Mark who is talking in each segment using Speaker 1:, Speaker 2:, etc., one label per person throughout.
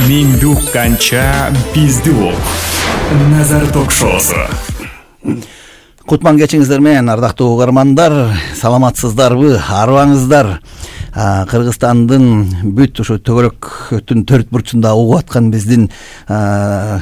Speaker 1: Меңди укканча бизди ук. Назар ток-шоусу.
Speaker 2: Кутман кечиңиздер менен, ардактуу угармандар, саламатсыздарбы, арыбаңыздар? Кыргызстандын бүт ушу төгөлөктүн төрт бурчунда угуп аткан биздин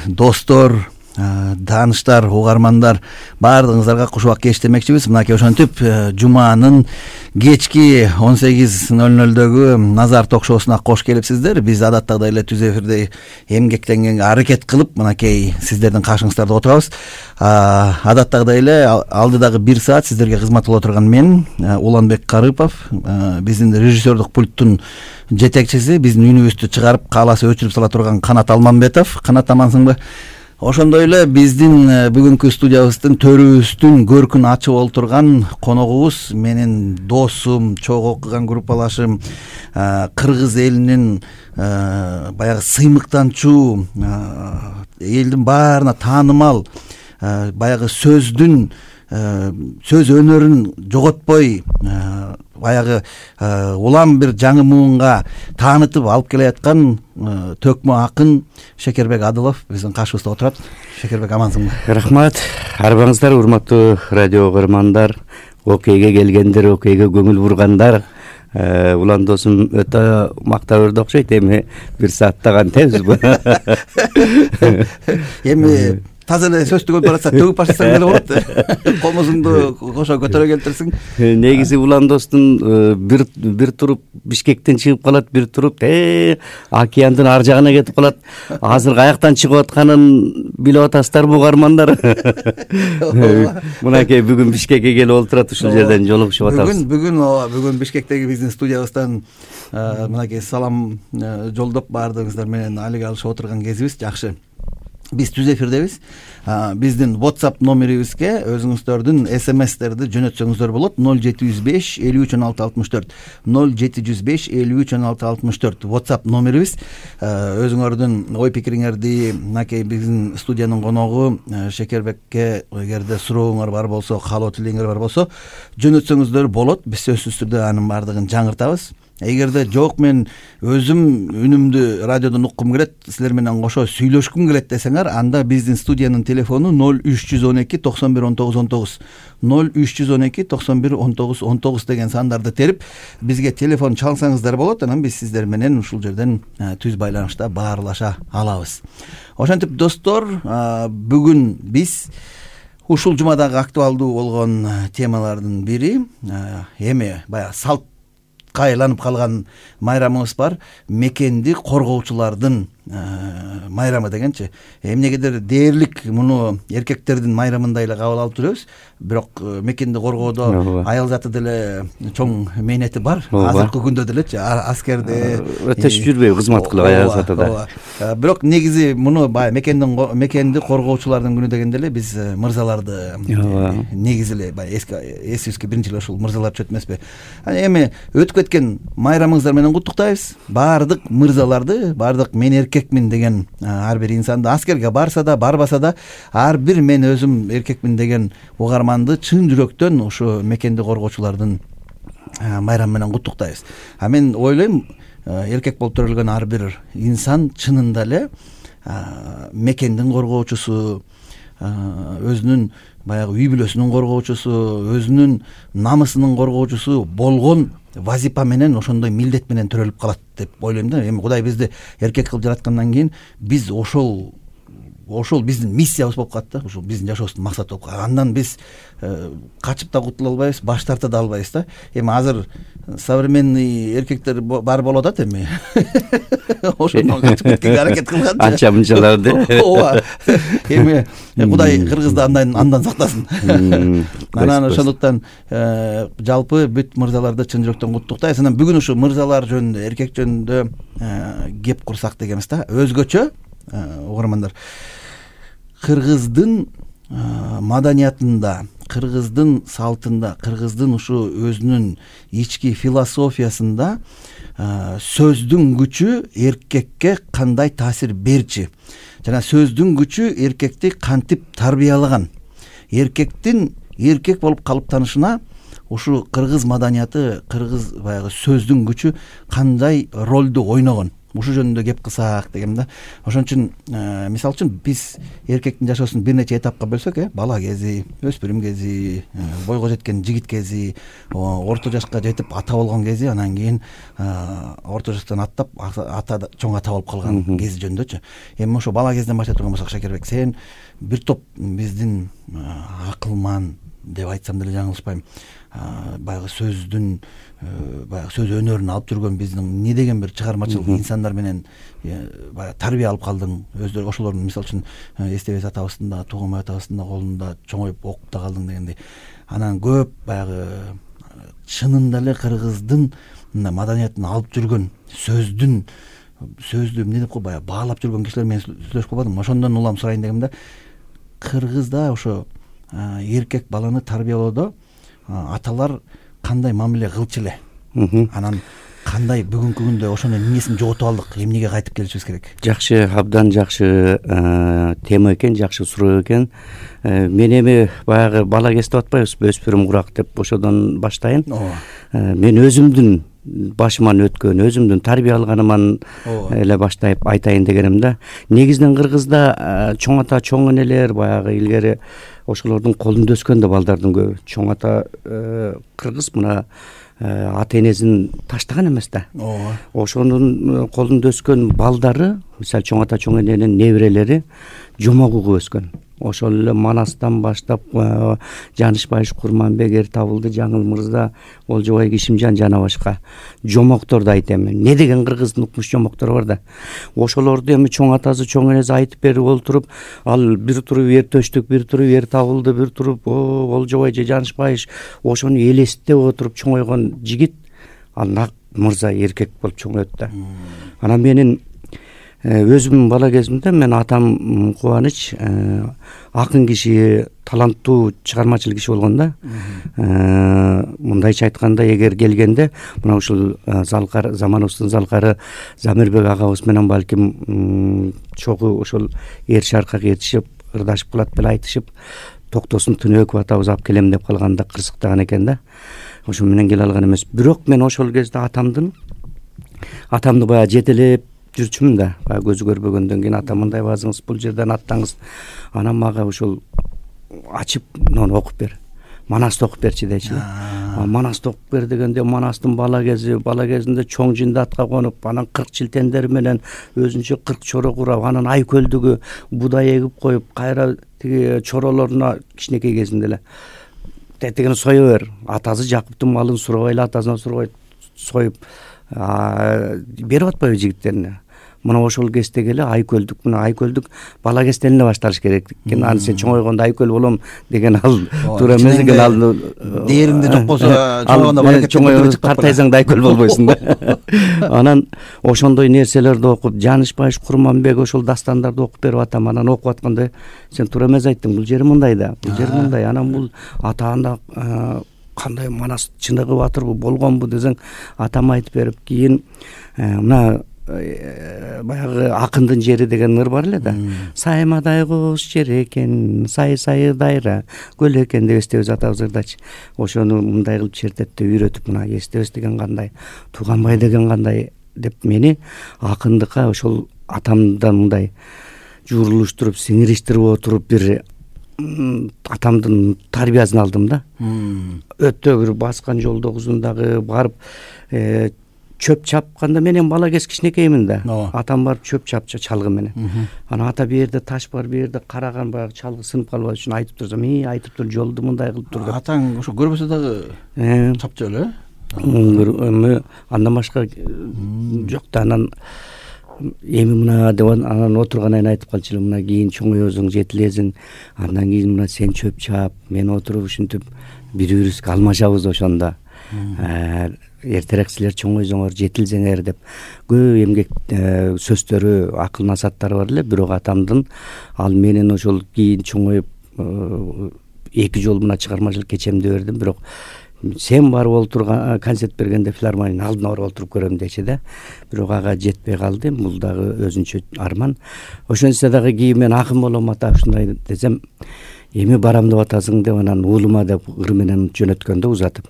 Speaker 2: достор, тааныштар, угармандар баардыгыңыздарга кушубак кеч демекчибиз. Мынакей ошентип жуманын кечки 18:00дөгү Назар ток-шоусуна кош келипсиздер. Биз адаттагыдай эле түз эфирде эмгектенгенге аракет кылып, мынакей сиздердин каршыңыздарда отурабыз. Адаттагыдай эле алдыдагы 1 саат сиздерге кызмат кыла турган мен, Уланбек Карыпов, биздин режиссердук пульттун жетекчиси, биздин үнүбүздү чыгарып, кааласа өчүрүп сала турган Канат Алмамбетов. Канат, амансыңбы? Ошондой эле биздин бүгүнкү студиябыздын төрүбүздүн көркүн ачып олтурган коногубуз, менин досум, чогуу окуган группалашым, кыргыз элинин баягы сыймыктанчу, элдин баарына таанымал, баягы сөз өнөрүн жоготпой, баягы улам бир жаңы муунга таанытып алып келе аткан төкмө акын Шекербек Адылов биздин каршыбызда отурат. Шекербек, амансыңбы?
Speaker 3: Рахмат. Арбаңыздар, урматтуу радио угармандар, окейге келгендер, окейге көңүл бургандар. Улан досум өтө мактап өрдү окшойт. Эми 1 сааттаган темизби?
Speaker 2: Эми таза эле сөз түгөп баратса төгүп баштасаң деле болот. Комузуңду кошо көтөрө келтирсиң.
Speaker 3: Негизи Улан достун бир туруп Бишкектен чыгып калат, бир туруп океандын ар жагына кетип калат. Азыр каяктан чыгып атканын билип атасыздарбы, угармандар? Мынакей бүгүн Бишкекке келип олтурат, ушул жерден жолугушуп атабыз.
Speaker 2: Бүгүн Бишкектеги биздин студиябыздан мынакей салам жолдоп баардыгыңыздар менен алек алышып отурган кезибиз. Жакшы. Биз түз эфирдебиз. Биздин WhatsApp номерибизге өзүңүздөрдүн SMS-терди жөнөтсөңүздөр болот. 0705 53 16 64 0705 53 16 64 WhatsApp номерибиз. Өзүңөрдүн ой пикириңерди мынакей биздин студиянын коногу Шекербекке эгерде сурооңор бар болсо, каалоо тилегиңер бар болсо жөнөтсөңүздөр болот. Биз сөзсүз түрдө анын баардыгын жаңыртабыз. Эгерде жок, мен өзүм үнүмдү радиодон уккум келет, силер менен кошо сүйлөшкүм келет десеңер, анда биздин студиянын телефону 0312 91 19 19 0312 91 19 19 деген сандарды терип бизге телефон чалсаңыздар болот. Анан биз сиздер менен ушул жерден түз байланышта баарлаша алабыз. Ошентип достор, бүгүн биз ушул жумадагы актуалдуу болгон темалардын бири эми баягы салт айланып калган майрамыбыз бар. Мекенди коргоочулардын майрамы дегенчи. Эмнегедир дээрлик муну эркектердин майрамындай эле кабыл алып жүрөбүз. Бирок мекенди коргоодо аял заты деле чоң мээнети бар. Азыркы күндө делечи аскерде
Speaker 3: өтөшүп жүрбөйбү кызмат кылып аял затыда.
Speaker 2: Бирок негизи муну баягы мекенди коргоочулардын күнү дегенде эле биз мырзаларды негизи эле баягы эсибизге биринчи эле ушул мырзалар түшөт эмеспи? Эми өтүп кеткен майрамыңыздар менен куттуктайбыз. Баардык мырзаларды, баардык мен эркекмин деген ар бир инсанды, аскерге барса да, барбаса да, ар бир мен өзүм эркекмин деген угарманды чын жүрөктөн ушу мекенди коргоочулардын майрамы менен куттуктайбыз. Мен ойлойм, эркек болуп төрөлгөн ар бир инсан чынында эле мекендин коргоочусу, өзүнүн баягы үй бүлөсүнүн коргоочусу, өзүнүн намысынын коргоочусу болгон вазипа менен, ошондой милдет менен төрөлүп калат деп ойлойм да. Эми Кудай бизди эркек кылып жараткандан кийин биз ошол биздин миссиябыз болуп калат да. Ушул биздин жашообуздун максаты болуп калат. Андан биз качып да кутула албайбыз, баш тарта да албайбыз да. Эми азыр современный эркектер бар болуп атат эми. Ошондон качып кеткенге аракет кылган.
Speaker 3: Анча мынчаларды.
Speaker 2: Ооба. Эми Кудай кыргызды андан сактасын. Анан ошондуктан жалпы бүт мырзаларды чын жүрөктөн куттуктайбыз. Анан бүгүн ушу мырзалар жөнүндө, эркек жөнүндө кеп курсак дегенбиз да. Өзгөчө угармандар, кыргыздын маданиятында, кыргыздын салтында, кыргыздын ушу өзүнүн ички философиясында сөздүн күчү эркекке кандай таасир берчи? Жана сөздүн күчү эркекти кантип тарбиялаган? Эркектин эркек болуп калыптанышына ушу кыргыз маданияты, кыргыз баягы сөздүн күчү кандай ролду ойногон? ушул жөнүндө кеп кылсак дегем да. Ошон үчүн мисалы үчүн биз эркектин жашоосун бир нече этапка бөлсөк, бала кези, өспүрүм кези, бойго жеткен жигит кези, орто жашка жетип ата болгон кези, анан кийин орто жаштан аттап ата чоң ата болуп калган кези жөнүндөчү. Эми ошо бала кезден баштай турган болсок, Шакирбек, сен бир топ биздин акылман деп айтсам деле жаңылышпайм, баягы сөздүн баягы сөз өнөрүн алып жүргөн биздин эмне деген бир чыгармачыл инсандар менен баягы тарбия алып калдың. Өздөрү ошолордун мисалы үчүн Эстебес атабыздын да, Тугунбай атабыздын да колунда чоңоюп окуп да калдың дегендей. Анан көп баягы чынында эле кыргыздын маданиятын алып жүргөн сөздү эмне деп кой, баягы баалап жүргөн кишилер менен сүйлөшүп калбадым. Ошондон улам сурайын дегем да. Кыргызда ошо эркек баланы тарбиялоодо аталар кандай мамиле кылчу эле? Анан кандай бүгүнкү күндө ошонун эмнесин жоготуп алдык? Эмнеге кайтып келишибиз керек?
Speaker 3: Жакшы, абдан жакшы тема экен, жакшы суроо экен. Мен эми баягы бала кез деп атпайбызбы, өспүрүм курак деп, ошодон баштайын. Мен өзүмдүн башыман өткөн, өзүмдүн тарбия алганыман эле баштайып айтайын дегеним да. Негизинен Кыргызда чоң ата, чоң энелер баягы илгери ошолордун колунда өскөн да балдардын көбү. Чоң ата кыргыз мына ата энесин таштаган эмес да. Ошонун колунда өскөн балдары, мисалы чоң ата, чоң эненин неберелери жомок угуп өскөн. Ошол эле Манастан баштап Жанышбаев, Курманбек, Эртабылды, Жаңыл Мырза, Олжобай, Кишимжан жана башка жомокторду айтам. Не деген кыргыздын укмуш жомоктору бар да. Ошолорду эми чоң атасы, чоң энеси айтып берип олтуруп, ал бир туруп Эртөштүк, бир туруп Эртабылды, бир туруп Олжобай же Жанышбаев ошону элестеп отуруп чоңойгон жигит, ал нак мырза эркек болуп чоңойот да. Анан менин өзүмдүн бала кезимде мен атам Кубаныч акын киши, таланттуу, чыгармачыл киши болгон да. Мындайча айтканда, эгер келгенде мына ушул залкар, заманыбыздын залкары Замирбек агабыз менен балким чогуу ошол эр шаркак ээрчишип, ырдашып калат беле айтышып, Токтосун Түнөков атабыз алып келем деп калганда кырсыктаган экен да. Ошо менен келе алган эмес. Бирок мен ошол кезде атамды баягы жетелеп жүрчүмүн да. Баягы көзү көрбөгөндөн кийин ата мындай базыңыз, бул жерден аттаңыз. Анан мага ошол ачып, муну окуп бер. Манасты окуп берчи дечи. Манасты окуп бер дегенде Манастын бала кезинде чоң жинде атка конуп, анан 40 чилтендери менен өзүнчө 40 чоро курап, анан Айкөлдүгү будай эгип коюп, кайра тиги чоролоруна кичинекей кезинде эле тетигин сое бер. Атасы Жакыптын малын сурабай эле атасынан сурабай союп берип атпайбы жигиттерине. Мына ошол кездеги эле Айкөлдүк, мына Айкөлдүк бала кезден эле башталыш керек экен. Аны сен чоңойгондо Айкөл болом деген ал туура эмес экен. Ал
Speaker 2: дээримде жок болсо чоңойгондо баракет
Speaker 3: картайсаң да Айкөл болбойсуң да. Анан ошондой нерселерди окуп, Жанышбаев, Курманбек ошол дастандарды окуп берип атам. Анан окуп атканда сен туура эмес айттың, бул жери мындай да, бул жери мындай. Анан бул атаанда кандай Манас чыныгы батырбы болгонбу десең, атам айтып берип, кийин мына баягы акындын жери деген ыр бар эле да. Саймадай куш жер экен, сай дайра көл экен деп Эстебес атабыз ырдачы. Ошону мындай кылып чертетте үйрөтүп, мына Эстебес деген кандай, Туганбай деген кандай деп мени акындыкка ошол атамдан мындай журулуштуруп, сиңириштирип отуруп бир атамдын тарбиясын алдым да. Өтө бир баскан жолдогусун дагы барып чөп чапканда менен бала кез кичинекеймин да. Атам барып чөп чапчы чалгы менен. Анан ата бу жерде таш бар, бу жерде караган баягы чалгы сынып калбаш үчүн айтып турсам, айтып тур, жолду мындай кылып тур деп.
Speaker 2: Атаң ошо көрбөсө дагы чапчы эле.
Speaker 3: Андан башка жок да. Анан эми мына деп анан отургандан айтып калчу эле, мына кийин чоңоёсуң, жетилесиң, андан кийин мына сен чөп чап, мен отуруп ушинтип бири-бирибизге алмашабыз ошондо. Эртерээк силер чоңойсоңор, жетилсеңер деп көп эмгек сөздөрү, акыл насааттары бар эле. Бирок атамдын ал менен ошол кийин чоңоюп 2 жол мына чыгармачылык кечемди бердим. Бирок сен барып олтурган концерт бергенде филармониянын алдына барып олтуруп көрөм дечи да. Бирок ага жетпей калды. Бул дагы өзүнчө арман. Ошентсе дагы кийин мен акын болом ата ушундай десем, эми барам деп атасың деп анан уулума деп ыр менен жөнөткөндө узатып,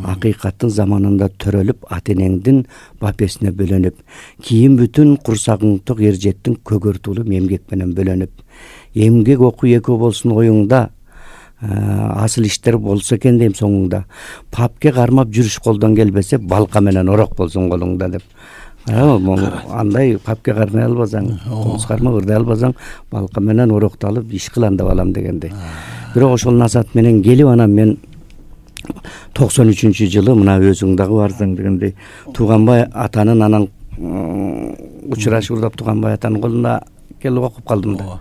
Speaker 3: акыйкаттын заманында төрөлүп, ата энеңдин бапесине бөлөнүп, кийин бүтүн курсагың ток эржеттин көгөртү улум эмгек менен бөлөнүп, эмгек окуу экөө болсун оюңда, асыл иштер болсо экен дейм соңуңда, папке кармап жүрүш колдон келбесе, балка менен орок болсун колуңда деп. Андай папке кармай албасаң, комуз кармап ырдай албасаң, балка менен орокту алып иш кылам деп алам дегендей. Бирок ошол насаат менен келип, анан мен 93-жылы мына өзүң дагы барсаң дегендей Тууганбай атанын анан учурашып урдап Тууганбай атанын колуна келип окуп калдым да.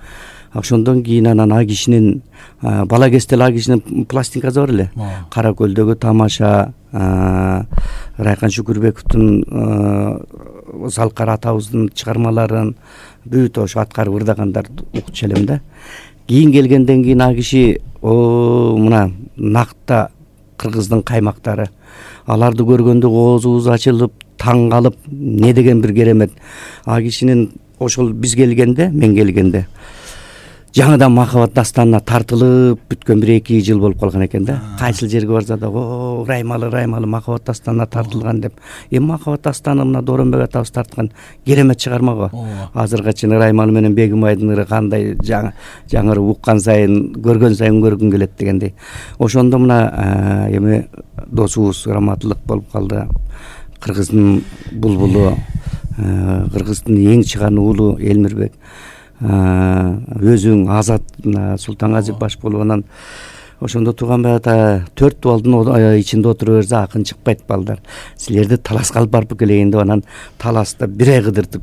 Speaker 3: Ошондон кийин анан а кишинин бала кезде а кишинин пластинкасы бар эле. Кара көлдөгү тамаша, Райкан Шүкүрбековдун Залкар атабыздын чыгармаларын бүт ошо аткарып ырдагандарды укчу элем да. Кийин келгенден кийин а киши мына накта кыргыздын каймактары, аларды көргөндө оозубуз ачылып, таң калып, не деген бир керемет. А кишинин ошол биз келгенде, мен келгенде жаңыдан махабат дастанына тартылып бүткөн 1-2 жыл болуп калган экен да. Кайсыл жерге барса да Раймалы махабат дастанына тартылган деп. Эми махабат дастаны мына Дооронбек атабыз тарткан керемет чыгарма го. Азырга чейин Раймалы менен Бегимайдын ыры кандай жаңыры уккан сайын, көргөн сайын көргүң келет дегендей. Ошондо мына эми досубуз раматтылык болуп калды. Кыргыздын булбулу, Кыргыздын эң чыган уулу Элмирбек, өзүң Азат Султангазиев баш болуп, анан ошондо Тууганбай ата 4 дубалдын ичинде отура берсе акын чыкпайт балдар. Силерди таласка алып барып келейин деп анан таласта 1 ай кыдыртып,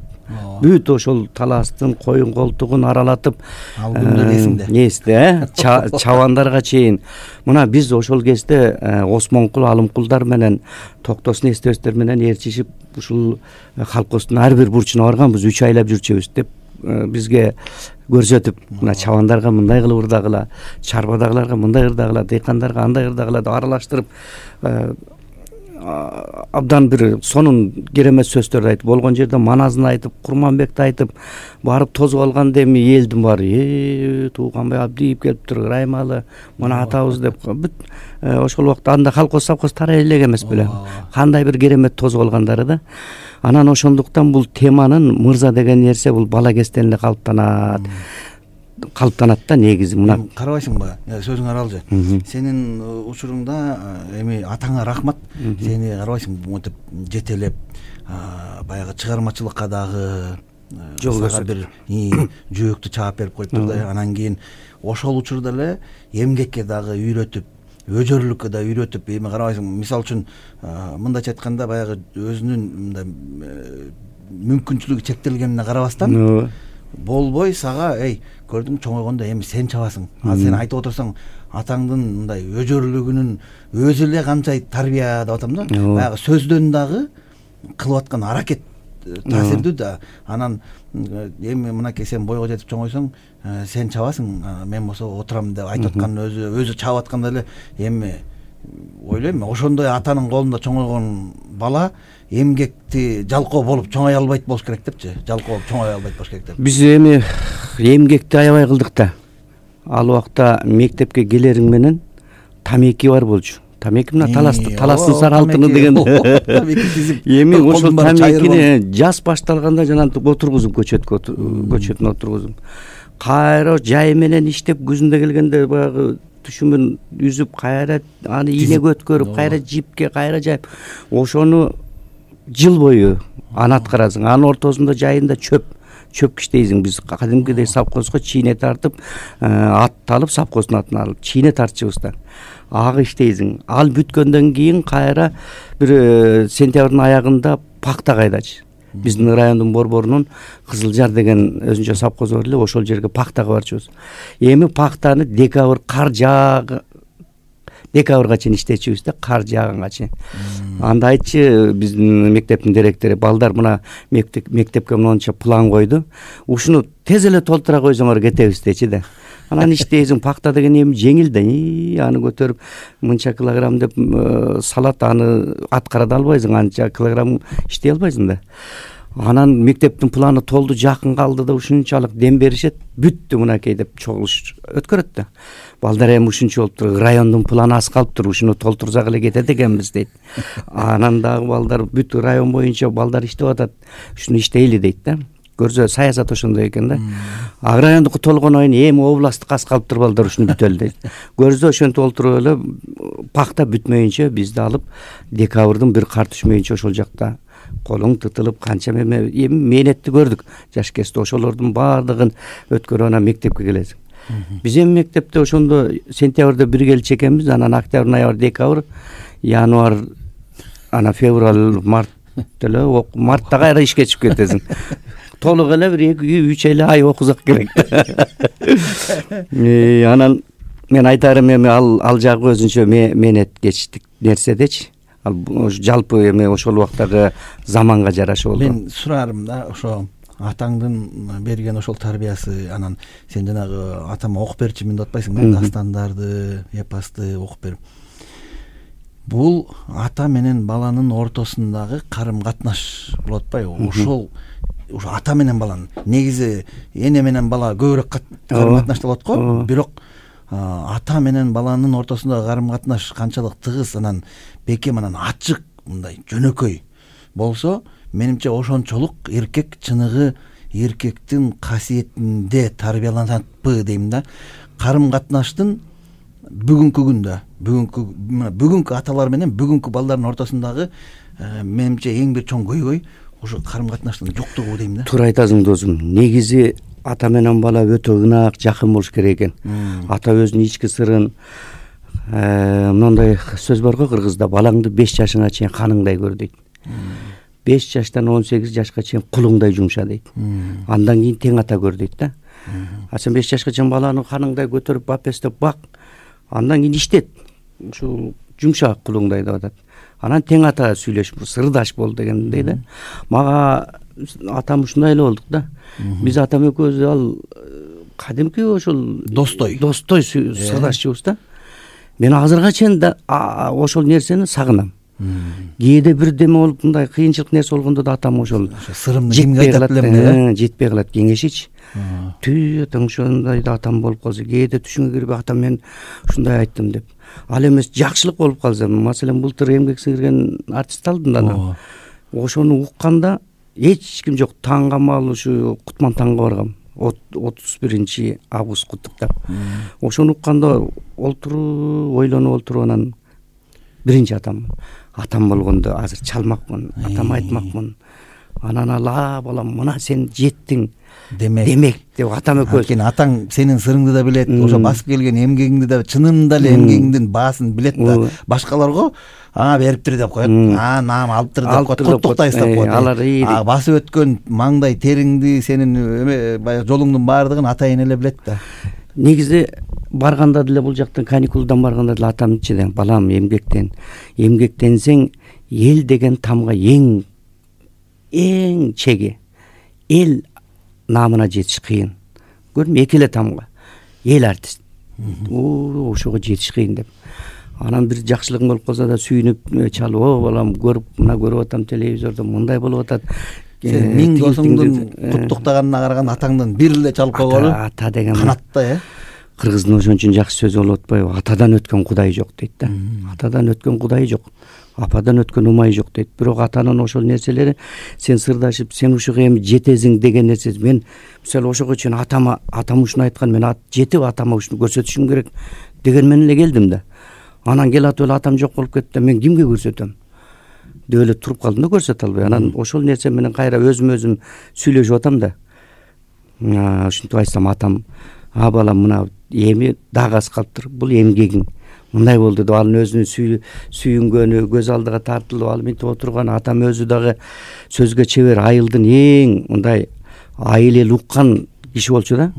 Speaker 3: бүт ошол таластын коюн колтугун аралатып,
Speaker 2: ал күндөр
Speaker 3: эсте, чабандарга чейин. Мына биз ошол кезде Осмонкул, Алымкулдар менен Токтосун эстебестер менен ээрчишип, ушул колхоздун ар бир бурчуна барганбыз, 3 айлап жүрчүбүз деп бизге көрсөтүп, мына чабандарга мындай кылып ырдагыла, чарбадагыларга мындай ырдагыла, дыйкандарга андай ырдагыла деп аралаштырып, абдан бир сонун керемет сөздөрдү айтып, болгон жерде маназын айтып, Курманбекти айтып, барып тозуп алганда эми элдин баары Тууганбай Абдиев келиптир, Раймалы мына атабыз деп бүт ошол убакта анда колхоз совхоз тарай элек эмес беле. Кандай бир керемет тозуп алгандары да. Анан ошондуктан бул теманын мырза деген нерсе бул бала кезден эле калыптанат да негизи. Мына
Speaker 2: карабайсыңбы, сөзүң аралжы. Сенин учуруңда эми атаңа рахмат. Сени карабайсың монтип жетелеп, баягы чыгармачылыкка дагы жол көрсөтүп бир жөөктү чаап берип коюптур да. Анан кийин ошол учурда эле эмгекке дагы үйрөтүп, өжөрлүккө да үйрөтүп, эми карабайсың, мисалы үчүн мындайча айтканда баягы өзүнүн мындай мүмкүнчүлүгү чектелгенине карабастан болбой сага көрдүң чоңойгондо эми сен чабасың. Ал сен айтып отурсаң атаңдын мындай өжөрлүгүнүн өзү эле канча тарбия деп атам да. Баягы сөздөн дагы кылып аткан аракет таасирдүү да. Анан эми мынакей сен бойго жетип чоңойсоң, сен чабасың, мен болсо отурам деп айтып аткан өзү чабып атканда эле эми ойлойм, ошондой атанын колунда чоңойгон бала эмгекти жалкоо болуп чоңой албайт болуш керек депчи. Жалкоо болуп чоңой албайт болуш керек деп.
Speaker 3: Биз эми эмгекти аябай кылдык да. Ал убакта мектепке келериң менен тамеки бар болчу. Тамеки мына таластын сары алтыны деген. Эми ошол тамекини жаз башталганда жана отургузуп көчөтүн отургузуп. Кайра жай менен иштеп күзүндө келгенде баягы түшүмүн үзүп, кайра аны ийнеге өткөрүп, кайра жипке, кайра жайып, ошону жыл бою аны аткарасың. Анын ортосунда жайында чөп киштейсиң. Биз кадимкидей совхозго чийне тартып, атты алып, совхоздун атын алып чийне тартчыбыз да. Ага иштейсиң. Ал бүткөндөн кийин кайра бир сентябрдын аягында пакта кайдачы. Биздин райондун борборунун Кызылжар деген өзүнчө совхоз бар эле, ошол жерге пактага барчубуз. Эми пактаны декабрга чейин иштечүбүз да, кар жааганга чейин. Анда айтчы биздин мектептин директору, балдар мына мектепке монча план койду. Ушуну тез эле толтура койсоңор кетебиз дечи да. Анан иштейсиң, пакта деген эми жеңил да. Аны көтөрүп мынча килограмм деп салат, аны аткара да албайсың, анча килограмм иштей албайсың да. Анан мектептин планы толду, жакын калды да ушунчалык дем беришет, бүттү мынакей деп чогулуш өткөрөт да. Балдар эми ушунча болуптур, райондун планы аз калыптыр, ушуну толтурсак эле кетет экенбиз дейт. Анан дагы балдар бүт район боюнча балдар иштеп атат, ушуну иштейли дейт да. Көрсө саясат ошондой экен да. Райондуку толгондон кийин эми областтык аз калыптыр, балдар ушуну бүтөлү дейт. Көрсө ошентип олтуруп эле пакта бүтмөйүнчө бизди алып декабрдын бир кар түшмөйүнчө ошол жакта колуң тытылып канча эми мээнетти көрдүк. Жаш кезде ошолордун баардыгын өткөрүп анан мектепке келесиң. Биз эми мектепте ошондо сентябрда бир келчү экенбиз, анан октябрь, ноябрь, декабрь, январь, анан февраль, март эле мартта кайра ишке чыгып кетесиң. Толук эле бир 2-3 эле ай окусак керек. Анан мен айтарым эми ал жагы өзүнчө мээнет кечтик нерседечи. Ал жалпы эми ошол убактагы заманга жараша болду.
Speaker 2: Мен сурарым да, ошо атаңдын берген ошол тарбиясы, анан сен жанагы атама окуп берчи мен деп атпайсыңбы, дастандарды, эпосты окуп берип. Бул ата менен баланын ортосундагы карым катнаш болот атпайбы? Ошол ата менен баланын негизи эне менен бала көбүрөөк карым катнашта болот го, бирок ата менен баланын ортосундагы карым катнаш канчалык тыгыз, анан бекем, анан ачык, мындай жөнөкөй болсо, менимче ошончолук эркек чыныгы эркектин касиетинде тарбияланатпы дейм да. Карым катнаштын бүгүнкү күндө, бүгүнкү аталар менен бүгүнкү балдардын ортосундагы менимче эң бир чоң көйгөй ошо карым катнаштын жоктугу дейм да.
Speaker 3: Туура айтасың досум. Негизи ата менен бала өтө ынак, жакын болуш керек экен. Ата өзүнүн ички сырын, мындай сөз бар го кыргызда, балаңды 5 жашыңа чейин каныңдай көр дейт. 5 жаштан 18 жашка чейин кулуңдай жумша дейт. Андан кийин тең ата көр дейт да. Сен 5 жашка чейин баланы каныңдай көтөрүп бапестеп бак, андан кийин иштет. Ушул жумшак кулуңдай деп атат. Анан тең ата сүйлөш, сырдаш бол дегендей да. Мага атам ушундай эле болдук да. Биз атам экөөбүз ал кадимки ошол достой сырдашчыбыз да. Мен азырга чейин да ошол нерсени сагынам. Кээде бир деме болуп мындай кыйынчылык нерсе болгондо да атам ошол
Speaker 2: сырымды кимге айтат билем да,
Speaker 3: жетпей калат кеңешичи. Түй атаң ошондой да атам болуп калса, кээде түшүнгө кирип атам мен ушундай айттым деп. Ал эмес жакшылык болуп калса, маселен былтыр эмгек сиңирген артист алдым да. Ошону укканда эч ким жок, таңгамал ушу Кутман таңга баргам. 31 август куттуктап. Ошону укканда ойлонуп отуруп анан биринчи атам болгондо азыр чалмакмын, атама айтмакмын. Анан ала балам, мына сен жеттиң демек деп атам экөөбүз.
Speaker 2: Анткени атаң сенин сырыңды да билет, ошо басып келген эмгегиңди да, чынында эле эмгегиңдин баасын билет да. Башкаларга бериптир деп коет, наам алыптыр деп коет, куттуктайсыз деп коет. Басып өткөн маңдай териңди, сенин баягы жолуңдун баардыгын атайын эле билет да.
Speaker 3: Негизи барганда деле бул жактан каникулдан барганда деле атам ичиден, балам эмгектенсең эл деген тамга эң чеги, эл наамына жетиш кыйын. Көрдүм, эки эле тамга эл артист. Ошого жетиш кыйын деп. Анан бир жакшылыгың болуп калса да сүйүнүп чалып, балам көрүп атам телевизордо мындай болуп атат.
Speaker 2: Сен миң досуңдун куттуктаганына караганда атаңдан бир эле чалып койгону
Speaker 3: ата деген
Speaker 2: канатта,
Speaker 3: Кыргыздын ошон жакшы сөзү болуп атпайбы? Атадан өткөн кудай жок дейт да. Атадан өткөн кудай жок, ападан өткөн умай жок дейт. Бирок атанын ошол нерселери сен сырдашып, сен ушуга эми жетесиң деген нерсе. Мен мисалы ошого чейин атам ушуну айткан, мен жетип атама ушуну көрсөтүшүм керек деген менен эле келдим да. Анан келатып эле атам жок болуп кетти да, мен кимге көрсөтөм деп эле туруп калдым да, көрсөтө албай. Анан ошол нерсе менен кайра өзүм сүйлөшүп атам да. Ушинтип айтсам атам, балам, мына эми дагы аз калыптыр, бул эмгегиң мындай болду деп анын өзүнүн сүйүнгөнү, көз алдыга тартылып ал мынтип отурган. Атам өзү дагы сөзгө чебер, айылдын эң мындай айыл эл уккан киши болчу да.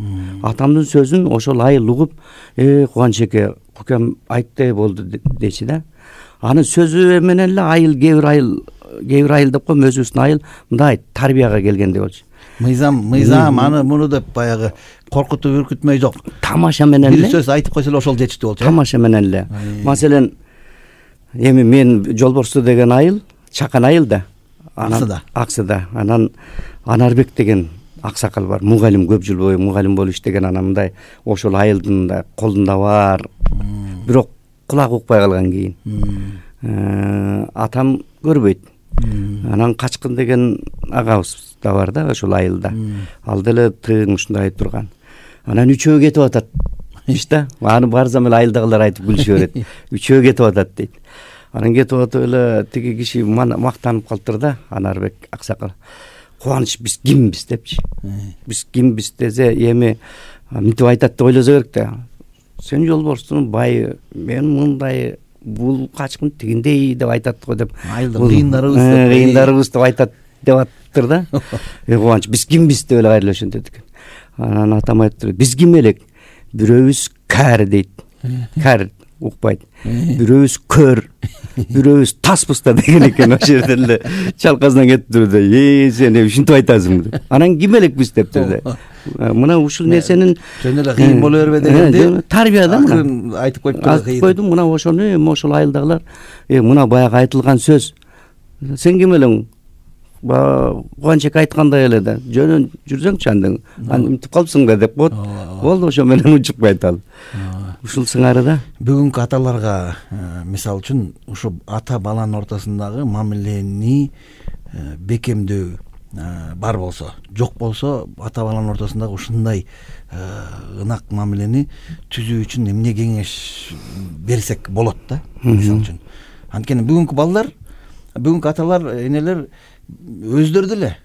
Speaker 3: Атамдын сөзүн ошол айыл угуп, Кубаныч эке, кукем айтты болду дечи да. Анын сөзү менен эле айыл, кээ бир айыл деп коем, өзүбүздүн айыл мындай тарбияга келгендей болчу.
Speaker 2: Мыйзам аны муну деп баягы коркутуп үркүтмөй жок.
Speaker 3: Тамаша менен эле.
Speaker 2: Бир сөз айтып койсо эле ошол жетиштүү болчу.
Speaker 3: Тамаша менен эле. Маселен, эми мен Жолборсу деген айыл, чакан айыл да. Аксыда. Анан Анарбек деген аксакал бар, мугалим, көп жыл бою мугалим болуп иштеген. Анан мындай ошол айылдын да колунда бар, бирок кулак укпай калган кийин атам көрбөйт. Анан Качкын деген агабыз да бар да ошол айылда. Ал деле тыйын ушундай турган. Анан үчөө кетип атат иште. Аны барсам эле айылдагылар айтып күлүшө берет. Үчөө кетип атат дейт. Анан кетип атып эле тиги киши мактанып калыптыр да, Анарбек аксакал. Кубаныч, биз кимбиз депчи. Биз кимбиз десе, эми мынтип айтат деп ойлосо керек да. Сен Жолборстун байы, мен мындай, бул Качкын тигиндей деп айтат го деп.
Speaker 2: Айылдын кыйындарыбыз
Speaker 3: деп айтат деп аттыр да. Кубаныч, биз кимбиз деп эле кайрылып ошентет экен. Анан атам айтты, биз ким элек? Бирөөбүз кар дейт. Кар укпайт. Бирөөбүз көр, бирөөбүз таспыз да деген экен. Ошол жерде эле чалкасынан кетиптир да. Сен ушинтип айтасың деп. Анан ким элек биз дептир да. Мына ушул нерсенин
Speaker 2: жөн эле кыйын боло бербе дегенде
Speaker 3: тарбия да мына.
Speaker 2: Айтып
Speaker 3: койдум, мына ошону ошол айылдагылар, мына баягы айтылган сөз. Сен ким элең? Кубанчек айткандай эле да. Жөнөн жүрсөңчү андын. Антип калыпсың да деп коет. Болду, ошо менен учуп кайталы. Ушул сыңары да.
Speaker 2: Бүгүнкү аталарга, мисалы үчүн, ушу ата баланын ортосундагы мамилени бекемдөө бар болсо, жок болсо, ата баланын ортосундагы ушундай ынак мамилени түзүү үчүн эмне кеңеш берсек болот да, мисалы үчүн. Анткени бүгүнкү балдар, бүгүнкү аталар, энелер өздөрү деле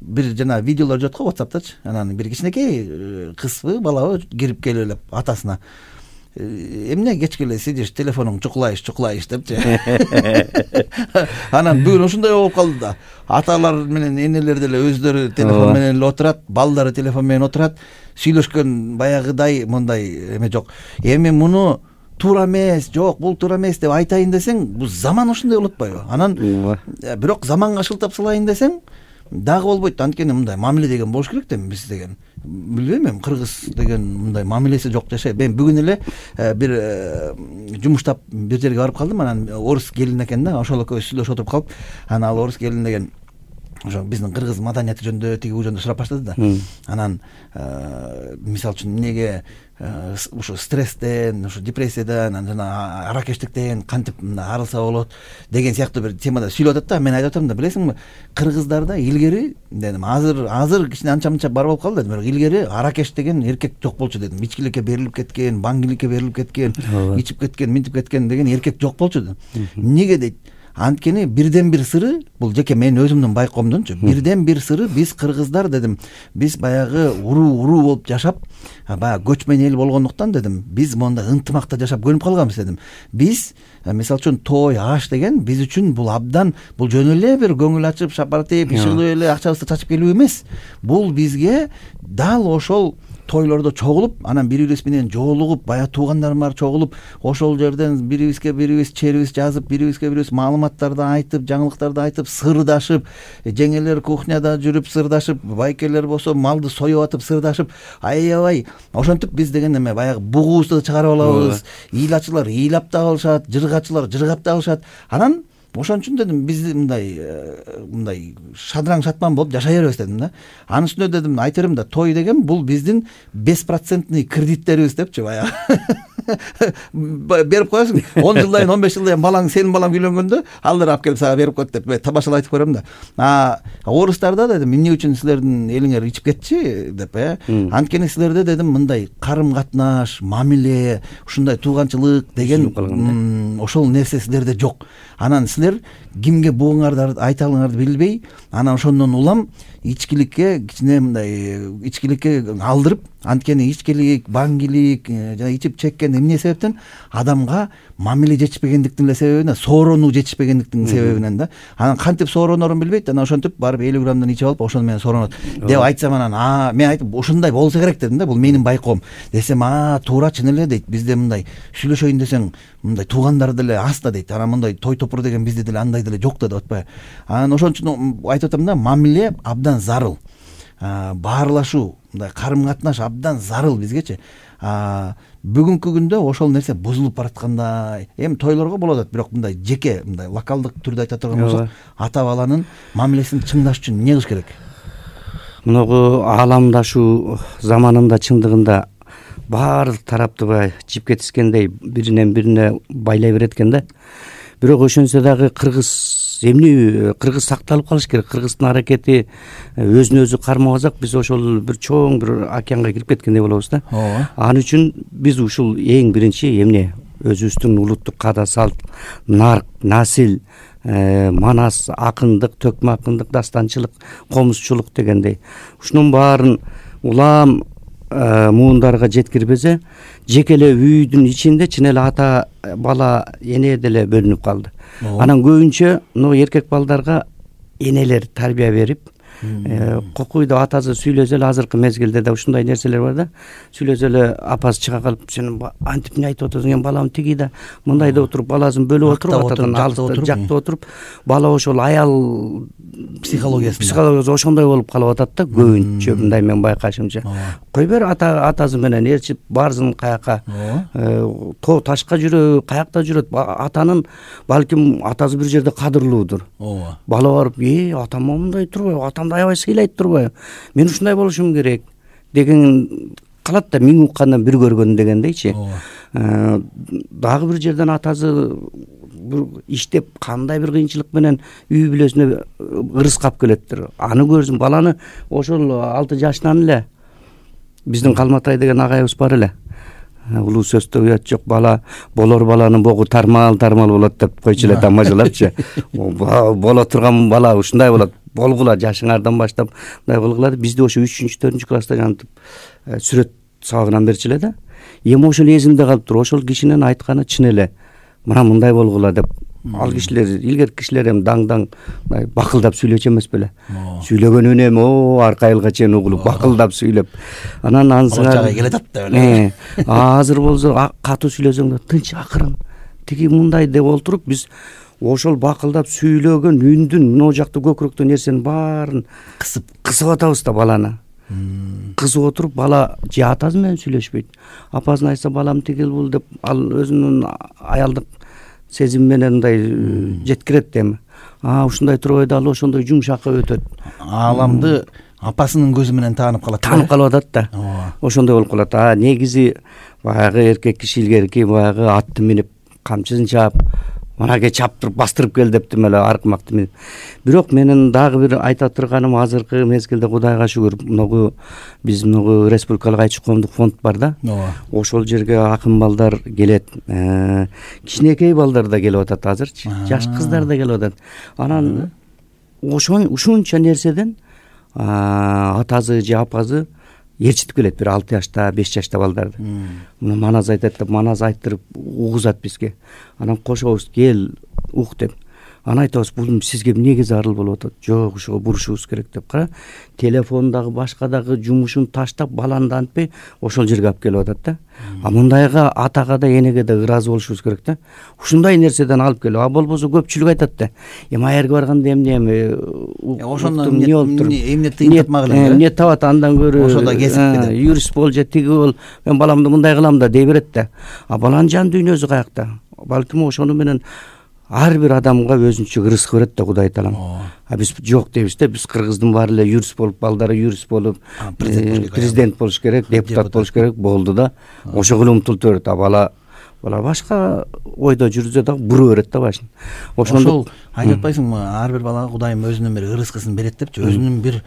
Speaker 2: бир жана видеолор жок го WhatsApp'тачы. Анан бир кичинекей кызбы, балабы кирип келип эле атасына эмне кечке эле сидиш, телефонуң чукулайыш депчи. Анан бүгүн ушундай болуп калды да. Аталар менен энелер деле өздөрү телефон менен эле отурат, балдары телефон менен отурат, сүйлөшкөн баягыдай мындай эме жок. Эми муну туура эмес, жок, бул туура эмес деп айтайын десең, бул заман ушундай болуп атпайбы? Анан бирок заманга шылтап салайын десең, дагы болбойт. Анткени мындай мамиле деген болуш керек да, биз деген. Билбейм, эми кыргыз деген мындай мамилеси жок жашайт. Мен бүгүн эле бир жумуштап бир жерге барып калдым. Анан орус келин экен да, ошол экөөбүз сүйлөшүп отуруп калып, анан ал орус келин деген ошо биздин кыргыз маданияты жөнүндө тиги жөнүндө сурап баштады да. Анан мисалы үчүн эмнеге ушу стресстен, ушу депрессиядан, анан аракештиктен кантип арылса болот деген сыяктуу бир темада сүйлөп атат да. Мен айтып атам да, билесиңби, кыргыздарда илгери дедим, азыр кичине анча бар болуп калды дедим, бирок илгери аракеш деген эркек жок болчу дедим. Ичкиликке берилип кеткен, баңгиликке берилип кеткен, ичип кеткен, минтип кеткен деген эркек жок болчу дедим. Эмнеге дейт? Анткени бирден бир сыры, бул жеке мен өзүмдүн байкоомдунчу, бирден бир сыры биз кыргыздар дедим, биз баягы уруу болуп жашап, баягы көчмөн эл болгондуктан дедим, биз монда ынтымакта жашап көнүп калганбыз дедим. Биз мисалы үчүн той, аш деген биз үчүн бул абдан, бул жөн эле бир көңүл ачып, шапартип, ишыгылып эле акчабызды чачып келүү эмес. Бул бизге дал ошол тойлордо чогулуп, анан бири-бирибиз менен жолугуп, баягы туугандарым бар чогулуп, ошол жерден бирибизге бирибиз черибиз жазып, бирибизге бирибиз маалыматтарды айтып, жаңылыктарды айтып, сырдашып, жеңелер кухняда жүрүп сырдашып, байкелер болсо малды союп атып сырдашып, аябай ошентип биз деген эме баягы бугубузду чыгарып алабыз. Ыйлачылар ыйлап да алышат, жыргачылар жыргап да алышат. Анан ошон үчүн дедим, биз мындай шадыраң шатман болуп жашай беребиз дедим да. Анын үстүнө дедим, айта берем да, той деген бул биздин беспроцентный кредиттерибиз депчи, баягы. Берип коесуң, 10 жылдан 15 жылдан балаң, сенин балаң үйлөнгөндө алар алып келип сага берип коет деп табашала айтып көрөм да. Орустарда дедим, эмне үчүн силердин элиңер ичип кетчи деп, анткени силерде дедим мындай карым катнаш, мамиле, ушундай тууганчылык деген ошол нерсе силерде жок. Анан силер кимге бугуңарды айталыңарды билбей, анан ошондон улам ичкиликке кичине мындай ичкиликке алдырып, анткени ичкилик, баңгилик, жана ичип чеккен эмне себептен адамга мамиле жетишпегендиктин эле себебинен, сооронуу жетишпегендиктин себебинен да. Анан кантип сооронорун билбейт, анан ошентип барып 50 граммдан ичип алып, ошону менен сооронот деп айтсам, анан мен айтып, ушундай болсо керек дедим да, бул менин байкоом. Десем, туура, чын эле дейт, бизде мындай сүйлөшөйүн десең, мындай туугандар деле аз да дейт. Анан мындай той топур деген бизде деле андай деле жок да деп атпайбы. Анан ошон үчүн айтып атам да, мамиле абдан зарыл. баарлашуу, мындай карым катнаш абдан зарыл бизгечи. Бүгүнкү күндө ошол нерсе бузулуп бараткандай. Эми тойлорго болот атат, бирок мындай жеке, мындай локалдык түрдө айта турган болсок, ата баланын мамилесин чыңдаш үчүн эмне кылыш керек?
Speaker 3: Мынагу ааламдашуу заманында чындыгында баардык тарапты баягы жипке тискендей биринен бирине байлай берет экен да. Бирок ошентсе дагы кыргыз сакталып калыш керек. Кыргыздын аракети өзүн өзү кармабасак, биз ошол бир чоң бир океанга кирип кеткендей болобуз да. Ал үчүн биз ушул эң биринчи эмне өзүбүздүн улуттук каада салт, нарк, насил, манас, акындык, төкмө акындык, дастанчылык, комузчулук дегендей ушунун баарын улам муундарга жеткирбесе, жеке эле үйдүн ичинде чын эле ата бала эне деле бөлүнүп калды. Анан көбүнчө мына эркек балдарга энелер тарбия берип, кокуйда атасы сүйлөсө эле, азыркы мезгилде да ушундай нерселер бар да. Сүйлөсө эле апасы чыга калып, сен антип эмне айтып атасың, эми балам тиги да мындай да отуруп, баласын бөлүп отуруп, атадан алыста жакта отуруп, бала ошол аял психологиясы ошондой болуп калып атат да көбүнчө, мындай мен байкашымча. Кой бер атасы менен ээрчип барсын каяка, тоо ташка жүрөбү, каякта жүрөт, атанын балким атасы бир жерде кадырлуудур. Бала барып, атам мындай турбайбы, атамды аябай сыйлайт турбайбы, мен ушундай болушум керек деген калат да, миң уккандан бир көргөн дегендейчи. Дагы бир жерден атасы иштеп кандай бир кыйынчылык менен үй бүлөсүнө ырыскап келеттир. Аны көрсүн, баланы ошол 6 жашынан эле биздин Калматай деген агайыбыз бар эле. Улуу сөздө уят жок, бала болор баланын богу тармал болот деп койчу эле тамажалапчы. Боло турган бала ушундай болот, болгула жашыңардан баштап мындай болгула. Бизде ошо 3-4 класста жантып сүрөт сабагынан берчү эле да. Эми ошол эсимде калыптыр, ошол кишинин айтканы чын эле. Мына мындай болгула деп. Ал кишилер, илгерки кишилер эми даң бакылдап сүйлөчү эмес беле. Сүйлөгөн үнөм арка айылга чейин угулуп бакылдап сүйлөп. Анан ансыңар
Speaker 2: келе атат да беле.
Speaker 3: Азыр болсо катуу сүйлөсөң да тынч, акырын, тиги мындай деп олтуруп, биз ошол бакылдап сүйлөгөн үндүн могу жакта көкүрөктө нерсенин баарын кысып атабыз да баланы. Кызып отуруп, бала же атасы менен сүйлөшпөйт. Апасын айтса, балам тигил бул деп, ал өзүнүн аялдык сезим менен мындай жеткирет эми. Ушундай турбайды, ал ошондой жумшакка өтөт.
Speaker 2: Ааламды апасынын көзү менен таанып калат.
Speaker 3: Таанып калып атат да. Ошондой болуп калат. Негизи баягы эркек киши илгерки баягы атты минип, камчысын чаап, манаке чаптырып бастырып кел дептим эле, аркмакты минип. Бирок менин дагы бир айта турганым, азыркы мезгилде Кудайга шүгүр, биз республикалык айчы коомдук фонд бар да. Ошол жерге акын балдар келет. Кичинекей балдар да келип атат азырчы. Жаш кыздар да келип атат. Анан ушунча нерседен атасы же апасы ээрчитип келет, бир 6 жашта, 5 жашта балдарды. Муну маназ айтат деп, маназ айттырып угузат бизге. Анан кошобуз, кел ук деп. Анан айтабыз, бул сизге эмнеге зарыл болуп атат? Жок, ушуга бурушубуз керек деп. Кара, телефондагы башка дагы жумушун таштап, баланы да антпай ошол жерге алып келип атат да. Мындайга атага да энеге да ыраазы болушубуз керек да. Ушундай нерседен алып келип, болбосо көпчүлүк айтат да. Аерге барганда эмне
Speaker 2: ошондон эмне тыйын тапмак эле.
Speaker 3: Эмне табат, андан көрө
Speaker 2: ошондо кесипти деп.
Speaker 3: Юрист бол же тиги бол, мен баламды мындай кылам да дей берет да. Баланын жан дүйнөсү каякта? Балким ошону менен ар бир адамга өзүнчө ырыскы берет да, Кудай таалам. Биз жок дейбиз да, биз кыргыздын баары эле юрист болуп, балдары юрист болуп, президент болуш керек, депутат болуш керек, болду да. Ошого эле умтулта берет. Бала башка ойдо жүрсө дагы бура берет да башын.
Speaker 2: Ошол айтып атпайсыңбы, ар бир балага Кудайым өзүнүн бир ырыскысын берет депчи, өзүнүн бир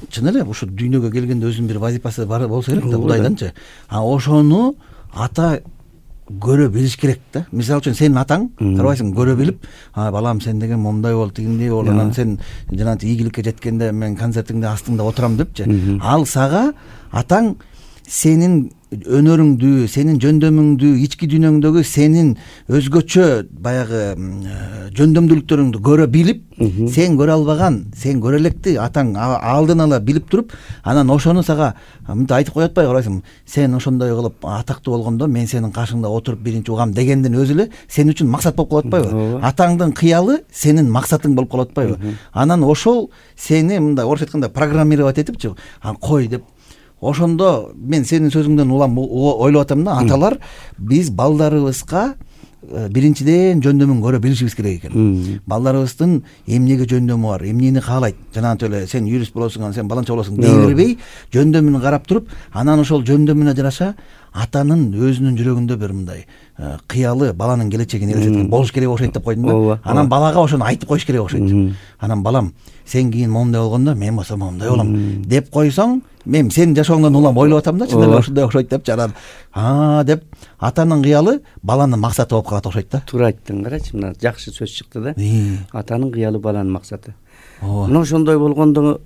Speaker 2: чын эле ушу дүйнөгө келгенде өзүнүн бир вазифасы бар болсо керек да Кудайданчы. Ошону ата көрө билиш керек да. Мисалы үчүн сенин атаң, карабайсың, көрө билип, балам сен деген момундай бол, тигиндей бол, анан сен жанагы ийгиликке жеткенде мен концертиңде астыңда отурам депчи. Ал сага атаң сенин өнөрүңдү, сенин жөндөмүңдү, ички дүйнөңдөгү сенин өзгөчө баягы жөндөмдүүлүктөрүңдү көрө билип, сен көрө албаган, сен көрө электи атаң алдын ала билип туруп, анан ошону сага мынтип айтып коет атпайбы, карайсың, сен ошондой кылып атактуу болгондо мен сенин каршыңда отуруп биринчи угам дегендин өзү эле сен үчүн максат болуп калып атпайбы? Атаңдын кыялы сенин максатың болуп калып атпайбы? Анан ошол сени мындай орусча айтканда программировать этипчи, кой деп. Ошондо мен сенин сөзүңдөн улам ойлоп атам да, аталар биз балдарыбызга биринчиден жөндөмүн көрө билишибиз керек экен. Балдарыбыздын эмнеге жөндөмү бар, эмнени каалайт, жанагынтип эле сен юрист болосуң, сен баланча болосуң дей бербей, жөндөмүн карап туруп, анан ошол жөндөмүнө жараша атанын өзүнүн жүрөгүндө бир мындай кыялы баланын келечегин элестеткен болуш керек окшойт деп койдум да. Анан балага ошону айтып коюш керек окшойт. Анан балам, сен кийин момундай болгондо мен болсо момундай болом деп койсоң, мен сенин жашооңдон улам ойлоп атам да, чын эле ушундай окшойт депчи. Анан деп атанын кыялы баланын максаты болуп калат окшойт да.
Speaker 3: Туура айттың, карачы, мына жакшы сөз чыкты да. Атанын кыялы баланын максаты. Мына ошондой болгондо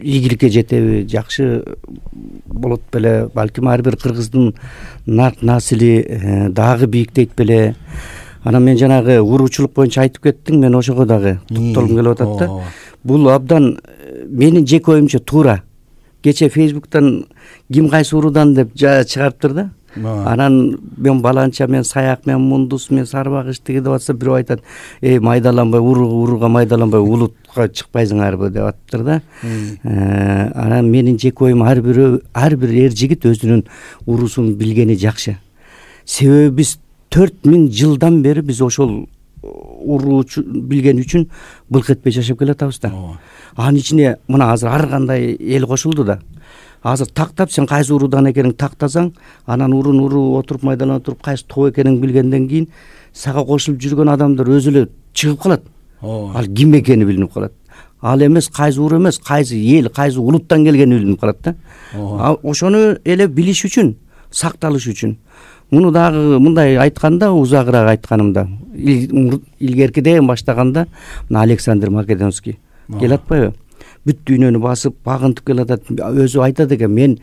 Speaker 3: ийгиликке жетеби, жакшы болот беле, балким ар бир кыргыздын нарк насили дагы бийиктейт беле. Анан мен жанагы уруучулук боюнча айтып кеттиң, мен ошого дагы токтолгум келип атат да. Бул абдан менин жеке оюмча туура. Кече Facebook'тан ким кайсы уруудан деп чыгарыптыр да. Анан мен баланча, мен саяк, мен мундус, мен сарбагыч тиги деп атса, бирөө айтат, майдаланбай, урууга майдаланбай улутка чыкпайсыңарбы деп атыптыр да. Анан менин жеке оюм ар бир эр жигит өзүнүн уруусун билгени жакшы. Себеби биз 4000 жылдан бери биз ошол уруучу билген үчүн былк этпей жашап келатабыз да. Анын ичине мына азыр ар кандай эл кошулду да. Азыр тактап сен кайсы уруудан экениңди тактасаң, анан уруу отуруп майдаланып туруп кайсы тоо экениңди билгенден кийин сага кошулуп жүргөн адамдар өзү эле чыгып калат. Ал ким экени билинип калат. Ал эмес кайсы уруу эмес, кайсы эл, кайсы улуттан келгени билинип калат да. Ошону эле билиш үчүн, сакталыш үчүн. Муну дагы мындай айтканда, узагыраак айтканымда, илгеркиден баштаганда Александр Македонский келе атпайбы? Бүт дүйнөнү басып, багынтып келатат. Өзү айтат экен, мен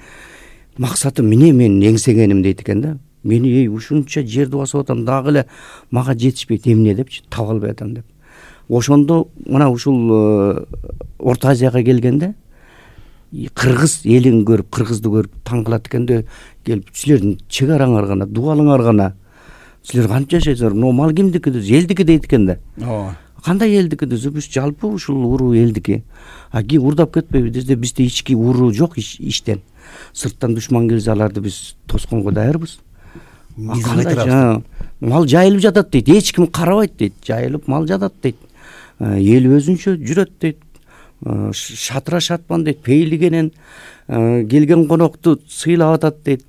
Speaker 3: максатым эмне, мен эңсегеним дейт экен да. Мени ушунча жерди басып атам, дагы эле мага жетишпейт, эмне депчи, таба албай атам деп. Ошондо мына ушул Орто Азияга келгенде кыргыз элин көрүп, кыргызды көрүп таң калат экенде, келип силердин чек араңар гана, дубалыңар гана, силер кантип жашайсыңар, мал кимдики, элдики дейт экен да. Кандай элдики десе, биз жалпы ушул уруу элдики. Урдап кетпейбиз десе, бизде ички уруу жок иштен. Сырттан душман келсе, аларды биз тосконго даярбыз. Мал жайылып жатат дейт, эч ким карабайт дейт, жайылып мал жатат дейт. Эл өзүнчө жүрөт дейт. Шатыра шатман дейт, пейлигенен келген конокту сыйлап атат дейт.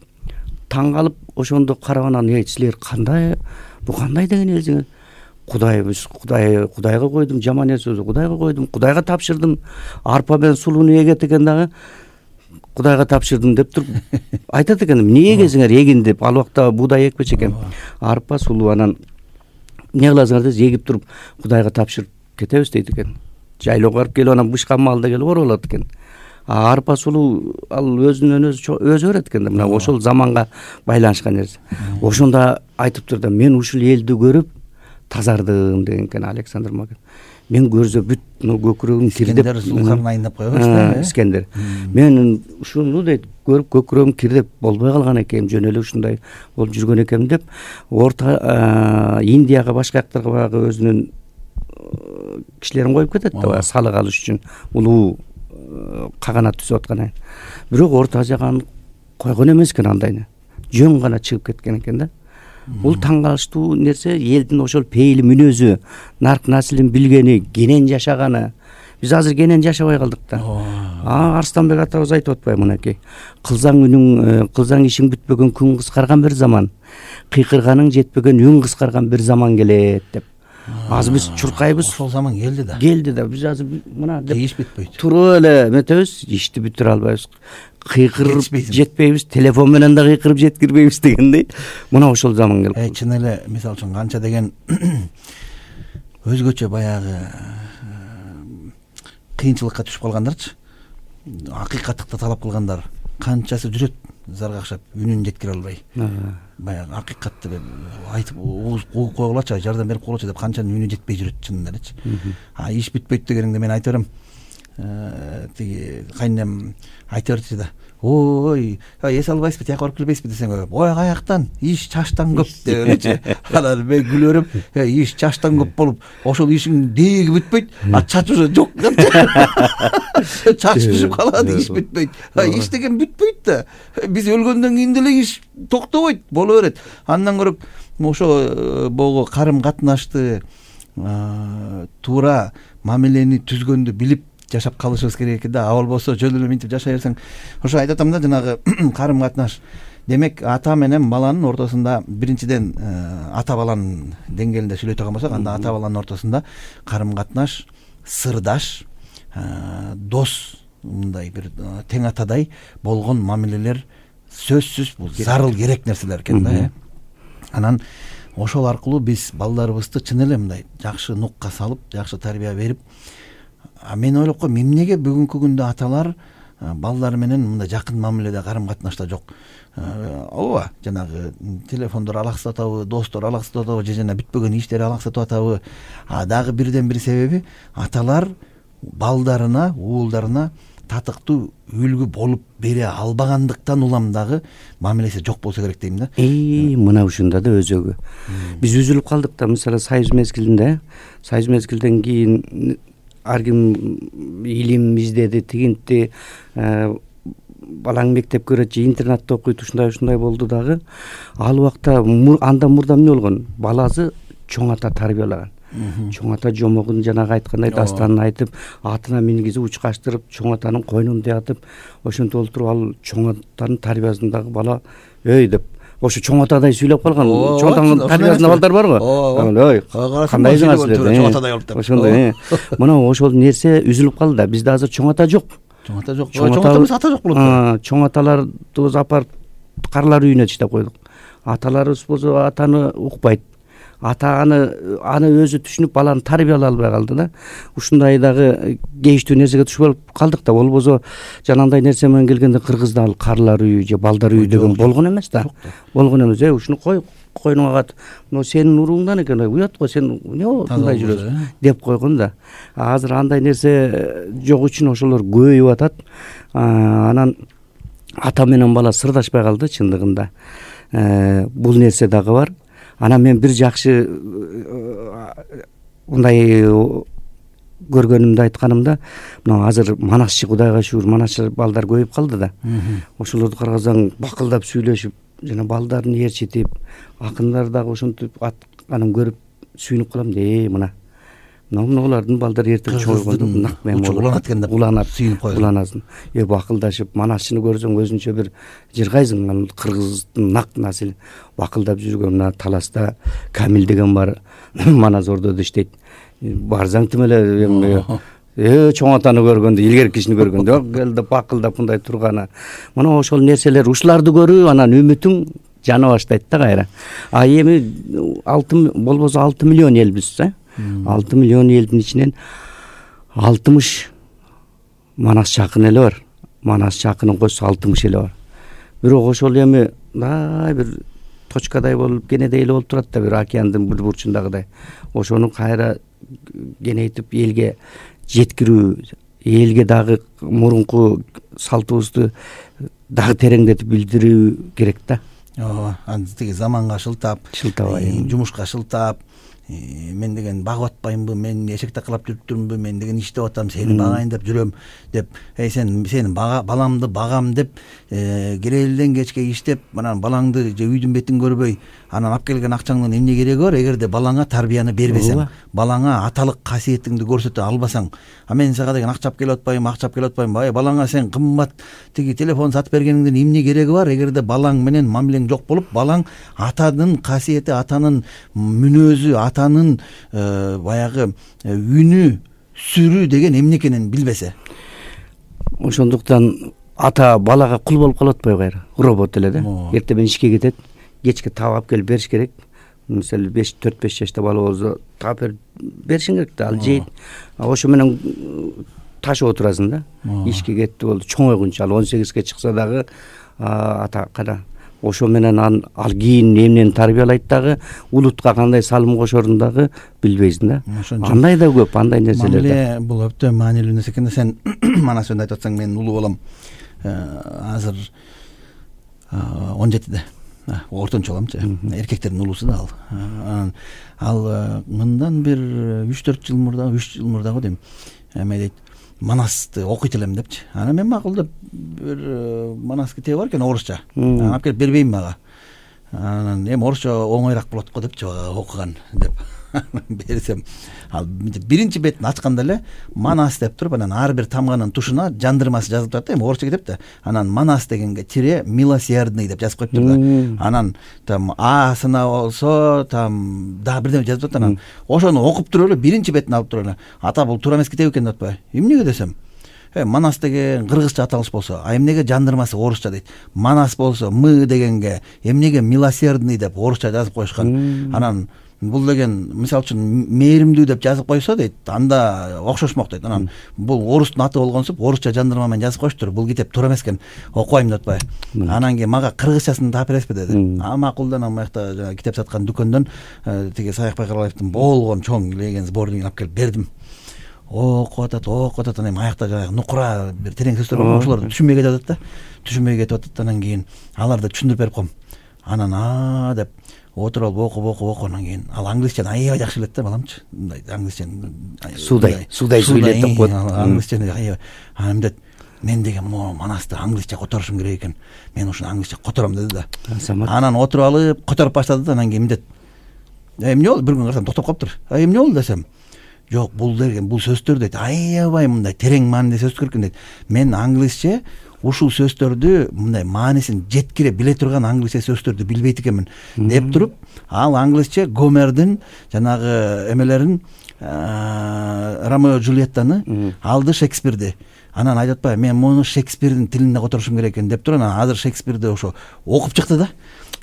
Speaker 3: Таң калып ошондо карап анан, силер кандай, бу кандай деген элсиңер? Кудайга койдум, жаман нерсе Кудайга койдум, Кудайга тапшырдым. Арпа менен сулууну эгет экен Кудайга тапшырдым деп туруп айтат экен. Эмне эгесиңер, эгин деп. Ал убакта буудай экпечи экен. Арпа, сулуу, анан эмне кыласыңар десе, эгип туруп Кудайга тапшырып кетебиз дейт экен. Жайлоого барып келип анан бышкан малда келип оролот экен. Арпа, сулуу ал өзүнөн өзү өрөт экен да. Мына ошол заманга байланышкан нерсе. Ошондо айтыптыр да, мен ушул элди көрүп тазардым деген экен Александр Македон. Мен көрсө бүт көкүрөгүм кирдеп,
Speaker 2: Искендер айнап койгон
Speaker 3: Искендер. Мен ушуну дейт көрүп көкүрөгүм кирдеп болбой калган экен, жөн эле ушундай болуп жүргөн экенмин деп, Орто Индияга, башка жактарга баягы өзүнүн кишилерин коюп кетет да, салык алыш үчүн улуу каганат түзүп аткан. Бирок Орто Азияга койгон эмес экен андайны. Жөн гана чыгып кеткен экен да. Бул таң калыштуу нерсе, элдин ошол пейили мүнөзү, нарк насилин билгени, кенен жашаганы. Биз азыр кенен жашабай калдык да. Арстанбек атабыз айтып атпайбы мынакей? Кылсаң ишиң бүтпөгөн күн кыскарган бир заман, кыйкырганың жетпеген үн кыскарган бир заман келет деп. Азыр биз чуркайбыз.
Speaker 2: Ошол заман келди да.
Speaker 3: Келди да. Биз азыр мына деп
Speaker 2: иш бүтпөйт.
Speaker 3: Туруп эле метебиз, ишти бүтүрө албайбыз. Кыйкырып жетпейбиз, телефон менен да кыйкырып жеткирбейбиз дегендей. Мына ошол заман келип.
Speaker 2: Чын эле, мисалы үчүн канча деген өзгөчө баягы кыйынчылыкка түшүп калгандарчы, акыйкаттыкты талап кылгандар канчасы жүрөт зарга акшап үнүн жеткире албай. Баягы акыйкатты айтып кууп койгулачы, жардам берип койгулачы деп канчанын үнү жетпей жүрөт чынында элечи. Иш бүтпөйт дегениңде мен айта берем. Тиги кайнем айта берчү да. Ой, эс албайсызбы, тияка барып келбейсизби десең, ой каяктан, иш чачтан көп деп элечи. Анан мен күлө берем, иш чачтан көп болуп, ошол ишиң дээги бүтпөйт, а чач уже жок. Чач түшүп калат, иш бүтпөйт. Иш деген бүтпөйт да. Биз өлгөндөн кийин деле иш токтобойт, боло берет. Андан көрө ошо богу карым катнашты туура мамилени түзгөндү билип жашап калышыбыз керек экен да. А болбосо жөн эле минтип жашай берсең, ошо айтып атам да, жанагы карым катнаш. Демек ата менен баланын ортосунда биринчиден ата баланын деңгээлинде сүйлөй турган болсок, анда ата баланын ортосунда карым катнаш, сырдаш, дос, мындай бир тең атадай болгон мамилелер сөзсүз бул зарыл керек нерселер экен да. Анан ошол аркылуу биз балдарыбызды чын эле мындай жакшы нукка салып, жакшы тарбия берип, мен ойлоп коем, эмнеге бүгүнкү күндө аталар балдары менен мындай жакын мамиледе, карым катнашта жок? Ооба, жанагы телефондор алаксатып атабы, достор алаксатып атабы, же жана бүтпөгөн иштери алаксатып атабы? Дагы бирден бир себеби аталар балдарына, уулдарына татыктуу үлгү болуп бере албагандыктан улам дагы мамилеси жок болсо керек дейм да.
Speaker 3: Мына ушунда да өзөгү. Биз үзүлүп калдык да, мисалы Союз мезгилден кийин ар ким илим издеди, тигинти, балаң мектепке барат же интернатта окуйт, ушундай болду дагы. Ал убакта андан мурда эмне болгон? Баласы чоң ата тарбиялаган. Чоң ата жомогун жанагы айткандай дастанын айтып, атына мингизип учкаштырып, чоң атанын койнунда ятып, ошентип олтуруп ал чоң атанын тарбиясындагы бала өй деп ошо чоң атадай сүйлөп калган. Чоң атанын тарбиясында балдар барбы? Ой, кандайсыңар силер? Чоң атадай болуп деп. Ошондой. Мына ошол нерсе үзүлүп калды да. Бизде азыр чоң ата жок.
Speaker 2: Чоң ата жок. Чоң атабыз ата жок болот.
Speaker 3: Чоң аталарды апарып карлар үйүнө таштап койдук. Аталарыбыз болсо атаны укпайт. Ата аны өзү түшүнүп баланы тарбиялай албай калды да. Ушундай дагы кейиштүү нерсеге түшүп алып калдык да. Болбосо жанагындай нерсе менен келгенде Кыргызда ал карлар үйү же балдар үйү деген болгон эмес да. Болгон эмес. Ушуну койнуңа кат. Мына сенин урууңдан экен, уят го, сен эмне мындай жүрөсүң деп койгон да. Азыр андай нерсе жок үчүн ошолор көбөйүп атат. Анан ата менен бала сырдашпай калды чындыгында. Бул нерсе дагы бар. Анан мен бир жакшы мындай көргөнүмдү айтканымда, мына азыр Манасчы, Кудайга шүгүр, Манасчы балдар көбөйүп калды да. Ошолорду карасаң бакылдап сүйлөшүп, жана балдарын ээрчитип, акындар дагы ошентип атканын көрүп сүйүнүп калам да. Мына булардын балдары эртең чоңойгондо нак мен уланат экен деп уланат, сүйүнүп коет. Уланасың. Бакылдашып, Манасчыны көрсөң өзүнчө бир жыргайсың. Кыргыздын нак насил бакылдап жүргөн мына Таласта Камил деген бар. Манас ордодо иштейт. Барсаң тим эле чоң атаны көргөндө, илгерки кишини көргөндө келди бакылдап мындай турганы. Мына ошол нерселер, ушуларды көрүп анан үмүтүң жана баштайт да кайра. Эми 6 болбосо 6 миллион элбиз, 6 миллион элдин ичинен 60 Манас жакын эле бар. Манас жакынын койсо 60 эле бар. Бирок ошол эми бир точкадай болуп, кенедей эле болуп турат да, бир океандын бир бурчундагыдай. Ошону кайра кенейтип элге жеткирүү, элге дагы мурунку салтыбызды дагы тереңдетип билдирүү керек да.
Speaker 2: Ооба, тиги заманга шылтап, жумушка шылтап, мен деген багып атпаймынбы, мен эшек такалап жүрүптүрмүнбү, мен деген иштеп атам, сени багайын деп жүрөм деп, сен баламды багам деп, келелден кечке иштеп, анан балаңды же үйдүн бетин көрбөй, анан алып келген акчаңдын эмне кереги бар? Эгерде балаңа тарбияны бербесең, балаңа аталык касиетиңди көрсөтө албасаң, мен сага деген акча алып келип атпайм, балаңа сен кымбат тиги телефон сатып бергениңдин эмне кереги бар? Эгерде балаң менен мамилең жок болуп, балаң атанын касиети, атанын мүнөзү, атанын баягы үнү, сүрү деген эмне экенин билбесе. Ошондуктан ата балага кул болуп калып атпайбы кайра? Робот эле да. Эртең менен ишке кетет, кечке таап алып келип бериш керек. Мисалы 4-5 жашта бала болсо таап беришиң керек да, ал жейт. Ошо менен
Speaker 3: ташып отурасың да. Ишке кетти болду, чоңойгунча ал 18ге чыкса дагы ата кара ошо менен ал кийин эмнени тарбиялайт дагы, улутка кандай салым кошорун дагы билбейсиң да. Андай да көп, андай нерселер да.
Speaker 2: Бул өтө маанилүү нерсе экен да. Сен мана сен айтып атсаң, менин улуу балам азыр 17-де. Ортончу баламчы. Эркектердин улуусу да ал. Ал мындан бир 3-4 жыл мурдагы дейм. Эме дейт, Манасты окуйт элем депчи. Анан мен макулдап бир Манас китеби бар экен орусча. Алып келип бербейм мага. Анан эми орусча оңойраак болот го депчи, окуган деп. Берсем, ал биринчи бетин ачканда эле Манас деп туруп, анан ар бир тамганын тушуна жандырмасы жазылып турат да, эми орусча кетип да. Анан Манас дегенге тире милосердный деп жазып коюптур да. Анан там асына болсо там дагы бирдеме жазып турат. Анан ошону окуп туруп эле биринчи бетин алып туруп эле, ата бул туура эмес китеп экен деп атпайбы? Эмнеге десем, Манас деген кыргызча аталыш болсо, эмнеге жандырмасы орусча дейт. Манас болсо мы дегенге эмнеге милосердный деп орусча жазып коюшкан. Анан бул деген мисалы үчүн мээримдүү деп жазып койсо дейт, анда окшошмок дейт. Анан бул орустун аты болгонсуп орусча жандырма менен жазып коюштур. Бул китеп туура эмес экен, окубайм деп атпайбы? Анан кийин мага кыргызчасын таап бересизби деди. Макулдан аны жакта жана китеп саткан дүкөндөн тиги Саякбай Каралаевдин болгон чоң леген сборнигин алып келип бердим. Окуп атат, анан аякта жанагы нукура бир терең сөздөр бар, ошолорду түшүнбөй кетип атат да. Түшүнбөй кетип атат, анан кийин аларды түшүндүрүп берип коем. Анан деп отуруп окуп анан кийин ал англисчени аябай жакшы билет да баламчы. Мындай англисчени
Speaker 3: судай сүйлөт деп коет.
Speaker 2: Англисчени аябай. Анан дет, мен деген Манасты англисче которушум керек экен. Мен ушуну англисче котором деди да. Анан отуруп алып которуп баштады да. Анан кийин дет, эмне болду? Бир күн карасам токтоп калыптыр. Эмне болду десем, жок, бул деген бул сөздөр дейт, аябай мындай терең маанилүү сөздөр экен дейт. Мен англисче ушул сөздөрдү мындай маанисин жеткире биле турган англисче сөздөрдү билбейт экенмин деп туруп, ал англисче Гомердин жанагы эмелерин, Ромео Джульеттаны алды, Шекспирди. Анан айтып атпайбы, мен муну Шекспирдин тилинде которушум керек экен деп туруп, анан азыр Шекспирди ошо окуп чыкты да.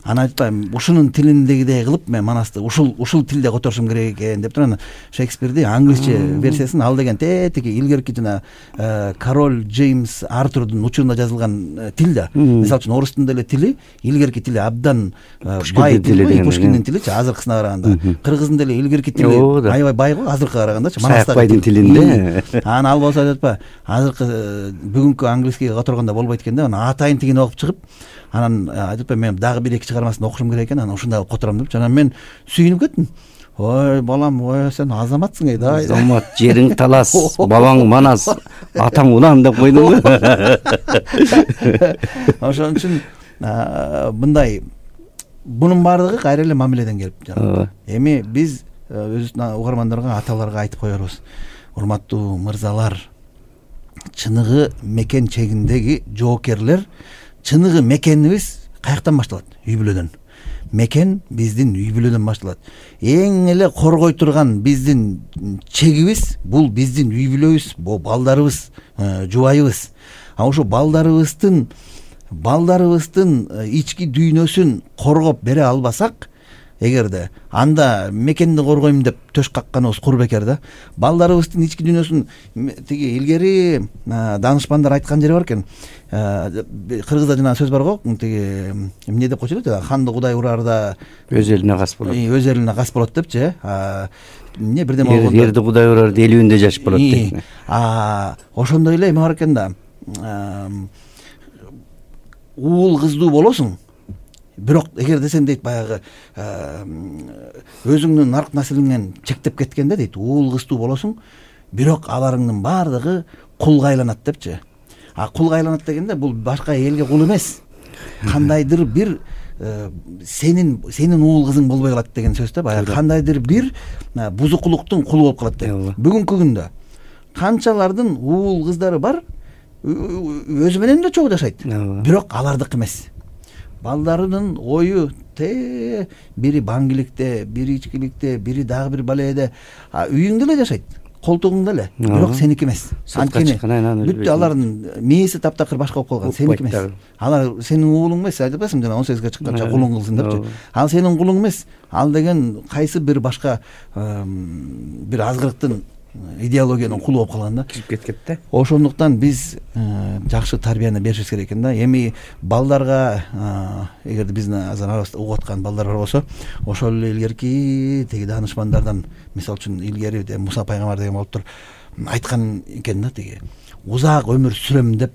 Speaker 2: Анан айтпайм, ушунун тилиндегидей кылып мен Манасты ушул тилде которушум керек экен деп туруп, анан Шекспирди англисче версиясын ал деген тетиги илгерки жана король Джеймс Артурдун учурунда жазылган тил да. Мисалы үчүн орустун деле тили, илгерки тили абдан бай тили, Пушкиндин тиличи азыркысына караганда. Кыргыздын деле илгерки тили аябай бай го азыркыга карагандачы.
Speaker 3: Саякбайдын тилинде.
Speaker 2: Анан ал болсо айтып атпайбы, азыркы бүгүнкү англискийге которгондо болбойт экен да. Анан атайын тигин окуп чыгып, анан айтып мен дагы бир эки чыгармасын окушум керек экен, анан ушундай котором деп. Анан мен сүйүнүп кеттим. Ой балам, ой сен азаматсың да.
Speaker 3: Азамат, жериң талас, бабаң Манас, атаң Улан деп койдуңбу?
Speaker 2: Ошон үчүн мындай бунун баардыгы кайра эле мамиледен келип жатат. Эми биз өзүбүздүн угармандарга, аталарга айтып коербуз. Урматтуу мырзалар, чыныгы мекен чегиндеги жоокерлер, чыныгы мекенибиз каяктан башталат? Үй бүлөдөн. Мекен биздин үй бүлөдөн башталат. Эң эле коргой турган биздин чегибиз бул биздин үй бүлөбүз, бул балдарыбыз, жубайыбыз. Ошо балдарыбыздын ички дүйнөсүн коргоп бере албасак, эгерде анда мекенди коргойм деп төш какканыбыз кур бекер да. Балдарыбыздын ички дүйнөсүн тиги илгери данышпандар айткан жери бар экен. Кыргызда жана сөз бар го, тиги эмне деп койчу эле, ханды кудай ураарда
Speaker 3: өз элине кас болот.
Speaker 2: Өз элине кас болот депчи. Эмне бирдеме болгондо
Speaker 3: жерди кудай ураарда элүүндө жашап болот дейт.
Speaker 2: Ошондой эле эме бар экен да. Уул кыздуу болосуң, бирок эгерде сен дейт баягы өзүңдүн нарк наслиңен чектеп кеткенде дейт, уул кыздуу болосуң, бирок аларыңдын баардыгы кулга айланат депчи. Кулга айланат дегенде бул башка элге кул эмес. Кандайдыр бир сенин уул кызың болбой калат деген сөз да. Баягы кандайдыр бир бузукулуктун кулу болуп калат деп. Бүгүнкү күндө канчалардын уул кыздары бар, өзү менен да чогуу жашайт, бирок алардык эмес. Балдарынын ою бири баңгиликте, бири ичкиликте, бири дагы бир баледе, үйүңдө эле жашайт, колтугуңда эле, бирок сеники эмес. Анткени бүттү алардын мээси таптакыр башка болуп калган, сеники эмес. Алар сенин уулуң эмес, айтып атасың жана 18ге чыкканча кулуң кылсын депчи. Ал сенин кулуң эмес, ал деген кайсы бир башка бир азгырыктын идеологиянын кулу болуп калган да,
Speaker 3: кирип кеткен да.
Speaker 2: Ошондуктан биз жакшы тарбияны беришибиз керек экен да. Эми балдарга эгерде биздин азыр арабызда угуп аткан балдар бар болсо, ошол эле илгерки тиги даанышмандардан, мисалы үчүн илгери Муса пайгамбар деген болуптур, айткан экен да, тиги узак өмүр сүрөм деп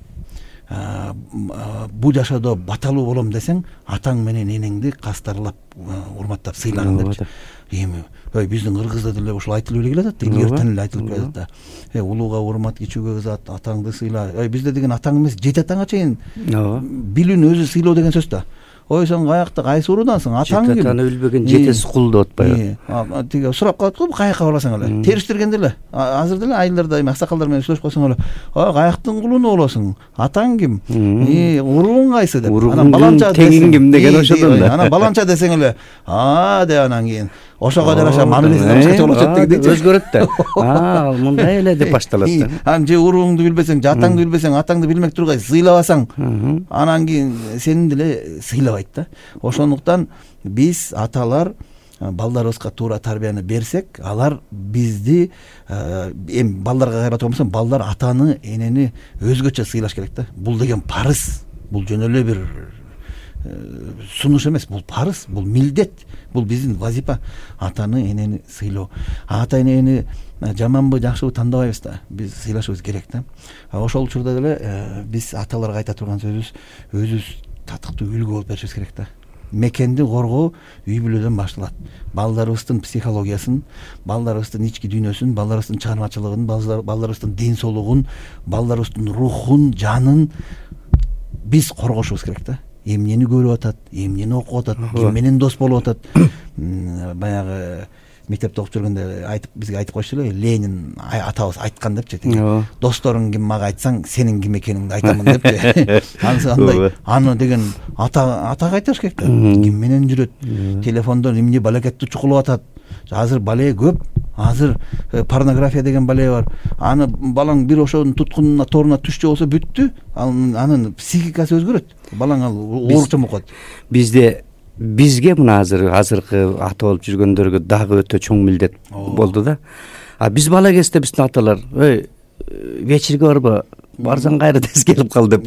Speaker 2: бул жашоодо баталуу болом десең, атаң менен энеңди кастарлап, урматтап, сыйлагын депчи. Эми биздин кыргызда деле ошол айтылып эле келатат, илгертен эле айтылып келатат да. Улууга урмат, кичүүгө ызат, атаңды сыйла. Бизде деген атаң эмес, жети атаңа чейин билүүнү өзү сыйлоо деген сөз да. Ой, сен каякта, кайсы уруудансың? Атаң ким?
Speaker 3: Жети билбеген жетеси кул деп атпайбы?
Speaker 2: Тиги сурап калат го, каяка барасың эле. Териштиргенде эле. Азыр деле айылдарда эми аксакалдар менен сүйлөшүп калсаң эле, каяктын кулуну болосуң? Атаң ким? Урууң кайсы деп.
Speaker 3: Анан баланча теңиң ким деген ошодон да.
Speaker 2: Анан баланча десең эле, деп анан кийин ошого жараша мамилеси башкача болот дегидей.
Speaker 3: Өзгөрөт да. Ал мындай эле деп башталат да.
Speaker 2: Анан же урууңду билбесең, же атаңды билбесең, атаңды билмек тургай сыйлабасаң, анан кийин сени деле сыйлабайт да. Ошондуктан биз аталар балдарыбызга туура тарбияны берсек, алар бизди эми балдарга кайра турган болсом, балдар атаны, энени өзгөчө сыйлаш керек да. Бул деген парыз. Бул жөн эле бир сунуш эмес, бул парыз, бул милдет, бул биздин вазифа. Атаны, энени сыйлоо. Ата энени жаманбы, жакшыбы тандабайбыз да, биз сыйлашыбыз керек да. Ошол учурда деле биз аталарга айта турган сөзүбүз, өзүбүз татыктуу үлгү болуп беришибиз керек да. Мекенди коргоо үй бүлөдөн башталат. Балдарыбыздын психологиясын, балдарыбыздын ички дүйнөсүн, балдарыбыздын чыгармачылыгын, балдарыбыздын ден соолугун, балдарыбыздын рухун, жанын биз коргошубуз керек да. Эмнени көрүп атат, эмнени окуп атат, ким менен дос болуп атат. Баягы мектепте окуп жүргөндө бизге айтып коюшту эле, Ленин атабыз айткан депчи. Досторуң ким мага айтсаң, сенин ким экениңди айтамын депчи. Андай аны деген атага айтыш керек да. Ким менен жүрөт, телефондон эмне балакетти чукулуп атат. Азыр бале көп. Азыр порнография деген бале бар. Аны балаң бир ошонун туткунуна, торуна түшчү болсо бүттү. Анын психикасы өзгөрөт. Балаң ал ооручу окуат. Бизге мына азыркы ата болуп жүргөндөргө дагы өтө чоң милдет болду да. Биз бала кезде биздин аталар, вечерге барба, барсаң кайра тез келип кал деп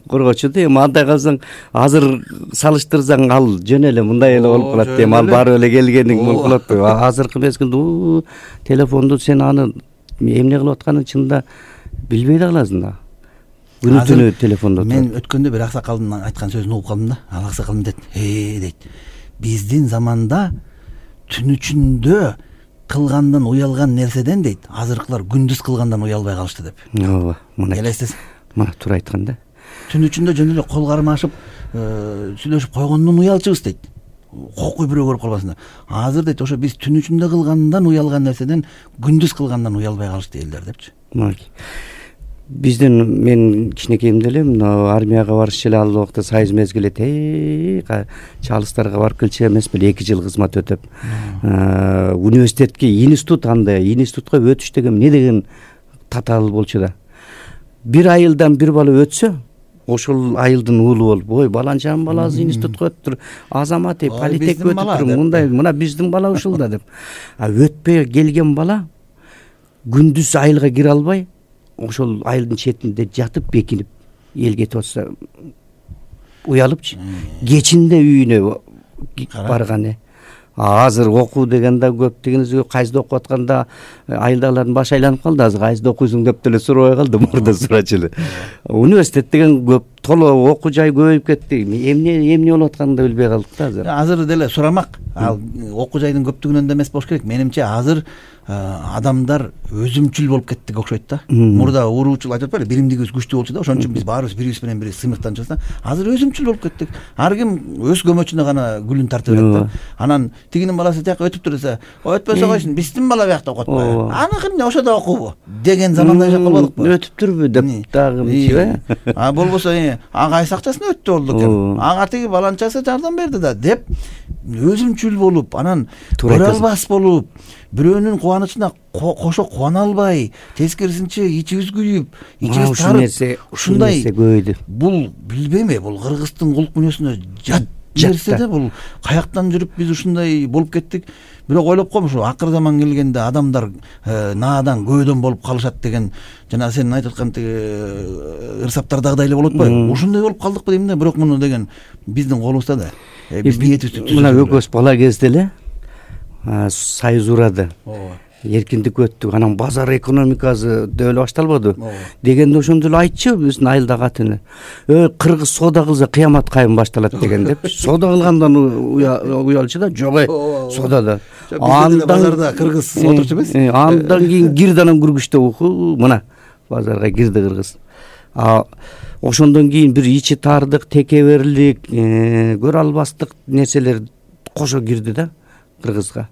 Speaker 2: коргочу да. Эми андай калсаң, азыр салыштырсаң ал жөн эле мындай эле болуп калат дейм. Ал барып эле келгениң болуп калат. Азыркы мезгилде телефонду сен аны эмне кылып атканын чынында билбей да каласың да. Күнү-түнү телефондо. Мен өткөндө бир аксакалдын айткан сөзүн угуп калдым да. Ал аксакал дейт, дейт. Биздин заманда түн ичинде кылгандан уялган нерседен дейт, азыркылар күндүз кылгандан уялбай калышты деп.
Speaker 3: Ооба, мына
Speaker 2: элестесиң.
Speaker 3: Мына туура айткан да.
Speaker 2: Түн ичинде жөн эле кол кармашып, сүйлөшүп койгондон уялчубуз дейт. Кокуй бирөө көрүп калбасын деп. Азыр дейт, ошо биз түн ичинде кылгандан уялган нерседен күндүз кылгандан уялбай калышты элдер депчи.
Speaker 3: Биздин мен кичинекейимде эле армияга барышчу эле ал убакта сайыз мезгил чалыстарга барып келчү эмес беле, 2 жыл кызмат өтөп. Университетке, институтка өтүш деген эмне деген татаал болчу да. Бир айылдан бир бала өтсө, ошол айылдын уулу болуп, ой, баланчанын баласы институтка өттүр, азамат, политек өтүп, мындай, мына биздин бала ушул да деп. Өтпөй келген бала күндүз айылга кире албай, ошол айылдын четинде жатып, бекинип, эл кетип атса уялыпчы. Кечинде үйүнө барган. Азыр окуу деген да көп дегенибизге, кайсыда окуп атканда айылдагылардын башы айланып калды. Азыр кайсыда окуйсуң деп деле сурабай калды, мурда сурачу эле. Университет деген көп, толо окуу жай көбөйүп кетти. Эмне болуп атканын да билбей калдык да азыр.
Speaker 2: Азыр деле сурамак. Ал окуу жайдын көптүгүнөн да эмес болуш керек. Менимче азыр адамдар өзүмчүл болуп кеттик окшойт да. Мурда уруучул айтып атпайлы, биримдигибиз күчтүү болчу да, ошон үчүн биз баарыбыз бирибиз менен бири сыймыктанчубуз да. Азыр өзүмчүл болуп кеттик. Ар ким өз көмөчүнө гана гүлүн тартып берет да. Анан тигинин баласы тияка өтүптүр десе, өтпөсө койсун, биздин бала биякта окуп атпайбы? Аныкы эмне, ошодо окуубу? Деген заманда жашап калбадыкпы?
Speaker 3: Өтүптүрбү деп дагы мынчыбы?
Speaker 2: Болбосо, кайсы акчасына өттү болду экен. Ага тиги баланчасы жардам берди да деп өзүмчүл болуп, анан көрө албас болуп, бирөөнүн кубанычына кошо кубана албай, тескерисинче ичибиз күйүп, ичибиз тарып, ушундай көйдү. Бул билбейм, бул кыргыздын кулк мүнөзүнө жат нерсе да бул каяктан жүрүп биз ушундай болуп кеттик. Бирок ойлоп коем, ушу акыр заман келгенде адамдар наадан көйдөн болуп калышат деген жана сен айтып аткан тиги ырсаптардагыдай эле болот атпайбы? Ушундай болуп калдыкпы дейм да. Бирок муну деген биздин колубузда да. Биз ниетибизди
Speaker 3: мына экөөбүз бала кезде эле союз урады. Эркиндик өттүк, анан базар экономикасы деп эле башталбады дегенде ошондо эле айтчу биздин айылдагы атын кыргыз соода кылса кыямат кайым башталат деген деп. Соода кылгандан уялчу да, жок соодада.
Speaker 2: Андан базарда кыргыз отурчу эмес.
Speaker 3: Андан кийин кирди, анан күргүчтө мына базарга кирди кыргыз. Ошондон кийин бир ичи тардык, текеберлик, көрө албастык нерселер кошо кирди да кыргызга.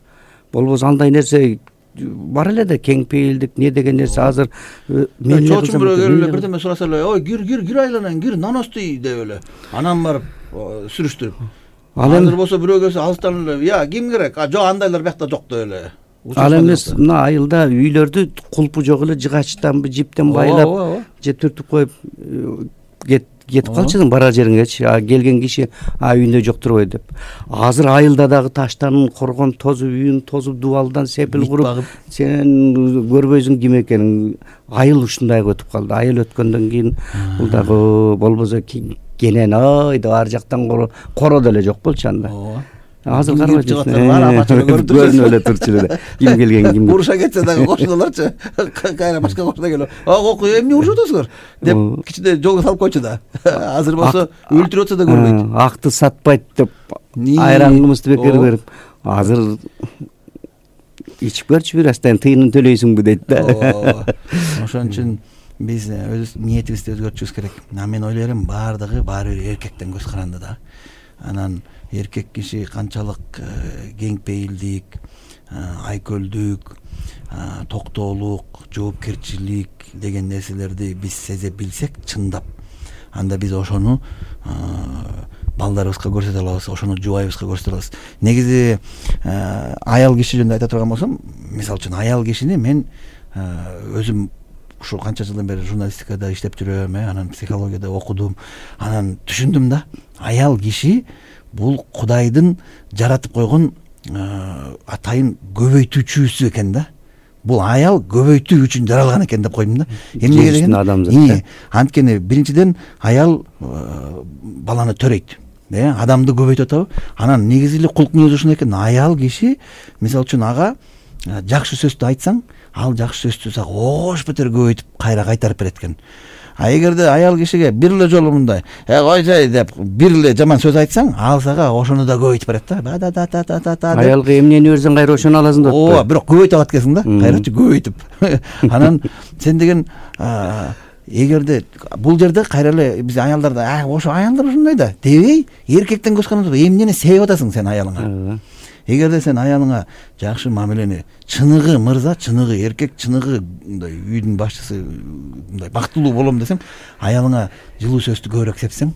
Speaker 3: Болбосо андай нерсе бар эле да, кең пейилдик не деген нерсе азыр
Speaker 2: чоочун бирөө келип эле бирдеме сураса эле, ой кир айланайын, кир наностый деп эле анан барып сүрүштүрүп. Азыр болсо бирөө келсе алыстан эле, я ким керек? Жок, андайлар биякта жок деп эле.
Speaker 3: Ал эмес, мына айылда үйлөрдү кулпу жок эле жыгачтан жиптен байлап же түртүп коюп кетип калчысың барар жериңечи, келген киши үйүндө жок турбайбы деп. Азыр айылда дагы таштан коргон тозуп, үйүн тозуп, дубалдан сепил куруп, сен көрбөйсүң ким экенин. Айыл ушундайга өтүп калды. Айыл өткөндөн кийин бул дагы болбосо кенен деп ар жактан коро деле жок болчу анда. Азыр карабачы көрүнүп эле турчу эле. Ким келген ким
Speaker 2: уруша кетсе дагы кошуналарчы кайра башка кошуна келип, эмне урушуп атасыңар деп кичине жолго салып койчу да. Азыр болсо өлтүрүп атса да көрбөйт.
Speaker 3: Акты сатпайт деп айран кымызды бекер берип, азыр ичип көрчү бир астан тыйынын төлөйсүңбү дейт да.
Speaker 2: Ошон үчүн биз өз ниетибизди өзгөртүшүбүз керек. Мен ойлойм баары бир эркектен көз каранды да. Анан эркек киши канчалык кең пейилдик, айкөлдүк, токтоолук, жоопкерчилик деген нерселерди биз сезе билсек чындап, анда биз ошону балдарыбызга көрсөтө алабыз, ошону жубайыбызга көрсөтө алабыз. Негизи аял киши жөнүндө айта турган болсом, мисалы үчүн аял кишини мен өзүм ушу канча жылдан бери журналистикада иштеп жүрөм, анан психологияда окудум, анан түшүндүм да, аял киши бул Кудайдын жаратып койгон атайын көбөйтүүчүсү экен да. Бул аял көбөйтүү үчүн жаралган экен деп койдум да. Эмнеге деген? Анткени биринчиден аял баланы төрөйт, адамды көбөйтүп атабы. Анан негизи эле кулк мүнөзү ушундай экен. Аял киши мисалы үчүн ага жакшы сөздү айтсаң, ал жакшы сөздү сага ош бетер көбөйтүп кайра кайтарып берет экен. Эгерде аял кишиге бир эле жолу мындай койсой деп бир эле жаман сөз айтсаң, ал сага ошону да көбөйтүп берет да.
Speaker 3: Аялга эмнени берсең кайра ошону аласың деп.
Speaker 2: Ооба, бирок көбөйтүп алат экенсиң да, кайрачы көбөйтүп. Анан сен деген эгерде бул жерде кайра эле биз аялдарда ошо аялдар ушундай да дебей, эркектен көз каранды эмнени себеп атасың сен аялыңа. Эгерде сен аялыңа жакшы мамилени, чыныгы мырза, чыныгы эркек, чыныгы мындай үйдүн башчысы, мындай бактылуу болом десең, аялыңа жылуу сөздү көбүрөөк сепсең,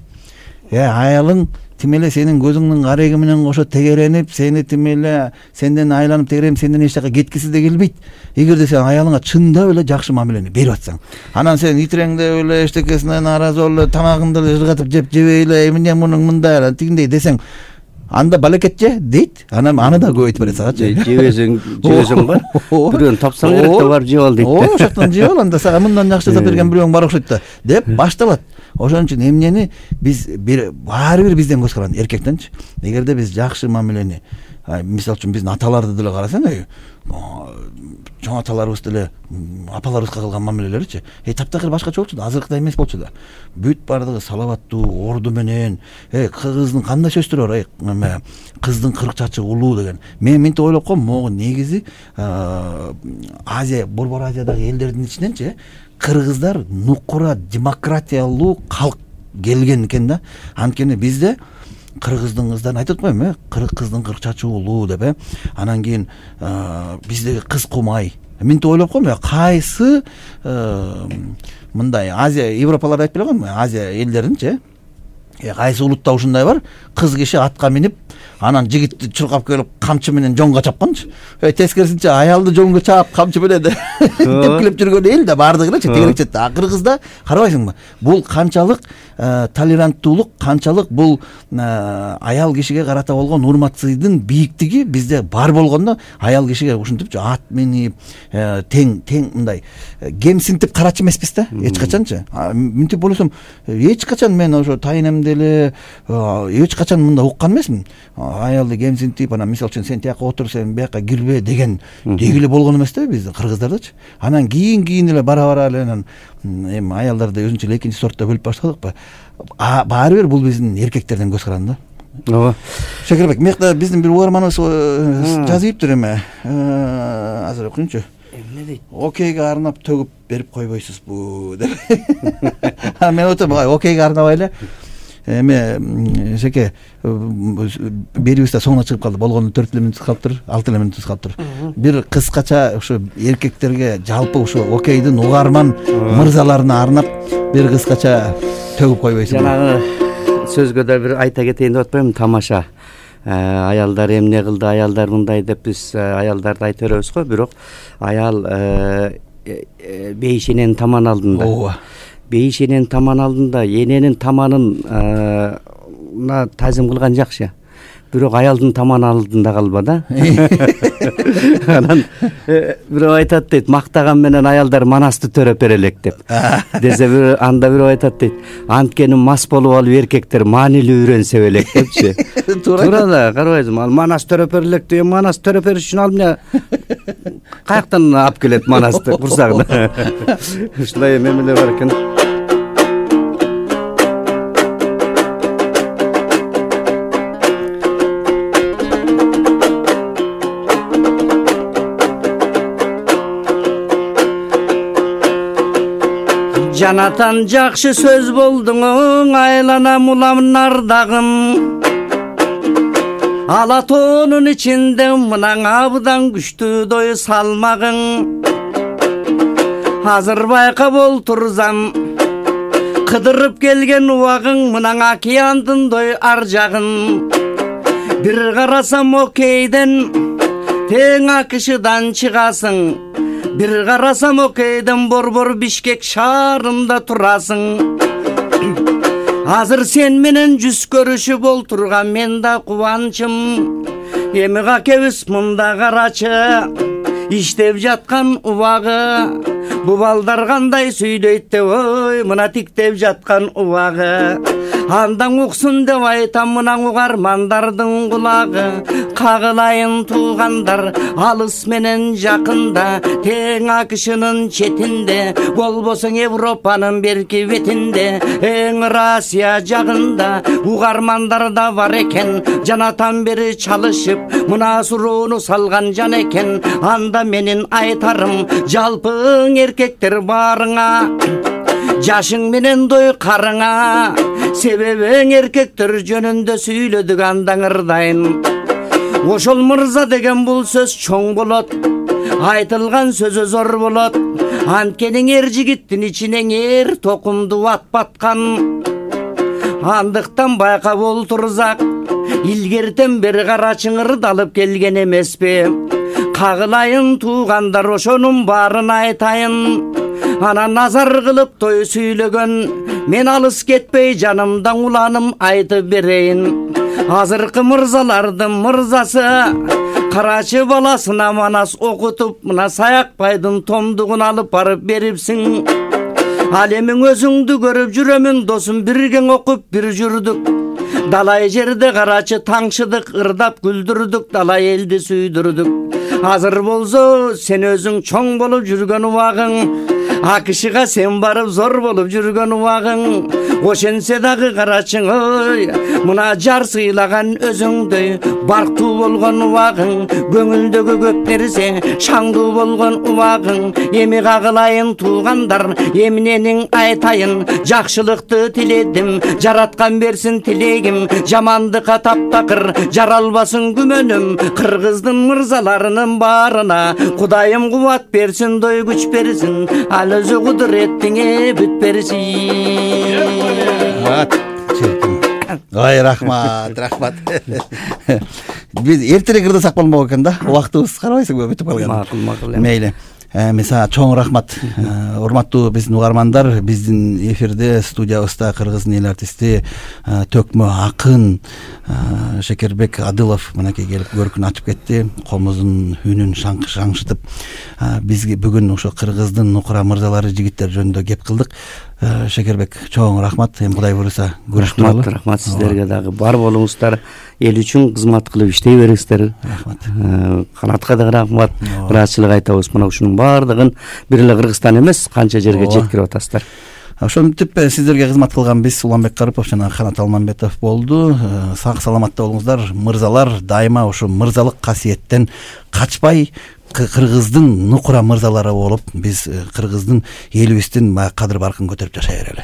Speaker 2: аялың тим эле сенин көзүңдүн кареги менен кошо тегеренип, сени тим эле сенден айланып тегеренип, сенден эч жака кеткиси да келбейт. Эгерде сен аялыңа чындап эле жакшы мамилени берип атсаң, анан сен итиреңдеп эле эчтекесине нааразы болуп эле тамагыңды эле жыргатып жебей эле эмне мунун мындай тигиндей десең, анда балекет же дейт, анан аны да көбөйтүп берет сагачы.
Speaker 3: Жебесең бар, бирөөнү тапсаң керек да барып жеп ал дейт.
Speaker 2: Ошол жактан жеп ал, анда сага мындан жакшы жасап берген бирөөң бар окшойт да деп башталат. Ошон үчүн эмнени биз баары бир бизден көз каранды, эркектенчи. Эгерде биз жакшы мамилени, мисалы үчүн биздин аталарды деле карасаң, чоң аталарыбыз деле апаларыбызга кылган мамилелеричи таптакыр башкача болчу да, азыркыдай эмес болчу да. Бүт баардыгы салаваттуу, орду менен, кыздын кандай сөздөр бар, кыздын кырк чачы улуу деген. Мен мынтип ойлоп коем, могу негизи Азия, Борбор Азиядагы элдердин ичиненчи кыргыздар нукура демократиялуу калк келген экен да. Анткени бизде кыргыздын кыздарын айтып атпайбы, кыздын кырк чачы улуу деп, анан кийин биздеги кыз кумай. Мынтип ойлоп коем, кайсы мындай Азия, Европаларда айтып беле коймун, Азия элдеринчи кайсы улутта ушундай бар, кыз киши атка минип, анан жигитти чуркап келип камчы менен жоңго чапканчы. Тескерисинче аялды жоңго чаап камчы менен тепкилеп жүргөн эл да бардыгы элечи тегерекчетте. А кыргызда карабайсыңбы? Бул канчалык толеранттуулук, канчалык бул аял кишиге карата болгон урмат-сыйдын бийиктиги бизде бар болгондо аял кишиге ушинтипчи ат минип тең мындай кемсинтип карачу эмеспиз да эч качанчы. Мынтип ойлосом эч качан мен ошо тайынемде эле эч качан мындай уккан эмесмин. Аялды кемсинтип анан мисалы үчүн сен тияка отур, сен бияка кирбе деген дегиле болгон эмес да биздин кыргыздардачы. Анан кийин эле бара эле анан эми аялдарды өзүнчө эле экинчи сортто бөлүп баштадыкпы. Баары бир бул биздин эркектердин көз каранды да.
Speaker 3: Ооба.
Speaker 2: Шакирбек, мекта биздин бир угарманыбыз жазыптыр эме. Азыр окуйунчу. Эмне дейт? Окейге арнап төгүп берип койбойсузбу деп. Мен отом, окейге арнабай эле эме Шеке берибиз да соңуна чыгып калды. Болгону 4 минут калыптыр, 6 минут калыптыр. Бир кыскача ушу эркектерге жалпы ушу окейдин угарман мырзаларына арнап бир кыскача төгүп койбойсузбу? Жанагы
Speaker 3: сөзгө да бир айта кетейин деп атпаймынбы? Тамаша. Аялдар эмне кылды, аялдар мындай деп биз аялдарды айта беребиз го, бирок аял бейишененин таман алдында. Ооба. Бейишененин таман алдында эненин таманына тазим кылган жакшы. Бирок аялдын таман алдында калба да. Анан бирөө айтат дейт, мактаган менен аялдар манасты төрөп берелек деп. Десе анда бирөө айтат дейт, анткени мас болуп алып эркектер маанилүү үйрөнсө белек депчи. Туура да, карабайсыңбы? Ал манас төрөп берелек деген, манас төрөп бериш үчүн ал эмне каяктан алып келет манасты курсагына. Ушулай эмелер бар экен. Жанатан жакшы сөз болдуң, айланам улам нардагым. Ала тоонун ичинде мынан абдан күчтүү дой салмагың. Азыр байкап олтурсам, кыдырып келген убагың, мынан океандын дой ар жагын. Бир карасам окейден, тең акышыдан чыгасың. Бир карасам окейден борбор Бишкек шаарында турасың. Азыр сен менен жүз көрүшүп олтурган мен да кубанчым. Эми какебиз мында карачы, иштеп жаткан убагы. Бу балдар кандай сүйлөйт деп, ой, мына тиктеп жаткан убагы. Андан уксун деп айтам мына угармандардын кулагы. Кагылайын туугандар, алыс менен жакында, тең акышынын четинде, болбосоң Европанын берки бетинде, эң Россия жагында угармандар да бар экен. Жанатан бери чалышып, мына суроону салган жан экен. Анда менин айтарым, жалпың эркектер барыңа, жашың менен дой карыңа. Себебиң эркектер жөнүндө сүйлөдүк андан ырдайын. Ошол мырза деген бул сөз чоң болот, айтылган сөзү зор болот. Анткени эр жигиттин ичинен эр токумду ат баткан. Андыктан байкап олтурсак, илгертен бери карачың ырдалып келген эмеспи? Кагылайын туугандар, ошонун баарын айтайын. Анан назар кылып той сүйлөгөн, мен алыс кетпей жанымдан уланым айтып берейин. Азыркы мырзалардын мырзасы, карачы баласына манас окутуп, мына Саякбайдын томдугун алып барып берипсиң. Ал эми өзүңдү көрүп жүрөмүн досум, бирген окуп бир жүрдүк. Далай жерде карачы таңшыдык, ырдап күлдүрдүк, далай элди сүйдүрдүк. Азыр болсо сен өзүң чоң болуп жүргөн убагың, акышыга сен барып зор болуп жүргөн убагың. Ошенсе дагы карачың, ой, мына жар сыйлаган өзүңдөй барктуу болгон убагың. Көңүлдөгү көп нерсе шаңдуу болгон убагың. Эми кагылайын туугандар, эмненин айтайын. Жакшылыкты тиледим, жараткан берсин тилегим. Жамандыкка таптакыр, жаралбасын күмөнүм. Кыргыздын мырзаларынын баарына Кудайым кубат берсин, дой күч берсин. Ал өзү кудуреттиңе бүт берсин.
Speaker 2: ой рахмат биз эртерээк ырдасак болмок экен да, убактыбыз карабайсыңбы бүтүп калган.
Speaker 3: Макул
Speaker 2: мейли. Мисалы чоң рахмат урматтуу биздин угармандар. Биздин эфирде студиябызда кыргыздын эл артисти төкмө акын Шекербек Адылов мынакей келип көркүн ачып кетти. Комуздун үнүн шаңшытып бизге бүгүн ошо кыргыздын нукура мырзалары, жигиттер жөнүндө кеп кылдык. Шекербек чоң рахмат. Эми Кудай буюрса көрүшкөнбү.
Speaker 3: Рахмат сиздерге дагы. Бар болуңуздар, эл үчүн кызмат кылып иштей бериңиздер.
Speaker 2: Рахмат.
Speaker 3: Канатка дагы рахмат. Ыраазычылык айтабыз. Мына ушунун баардыгын бир эле Кыргызстан эмес, канча жерге жеткирип атасыздар.
Speaker 2: Ошентип сиздерге кызмат кылган биз Уланбек Карипов жана Канат Алмамбетов болду. Сак саламатта болуңуздар. Мырзалар дайыма ошо мырзалык касиеттен качпай, кыргыздын нукура мырзалары болуп, биз кыргыздын элибиздин кадыр баркын көтөрүп жашай берели.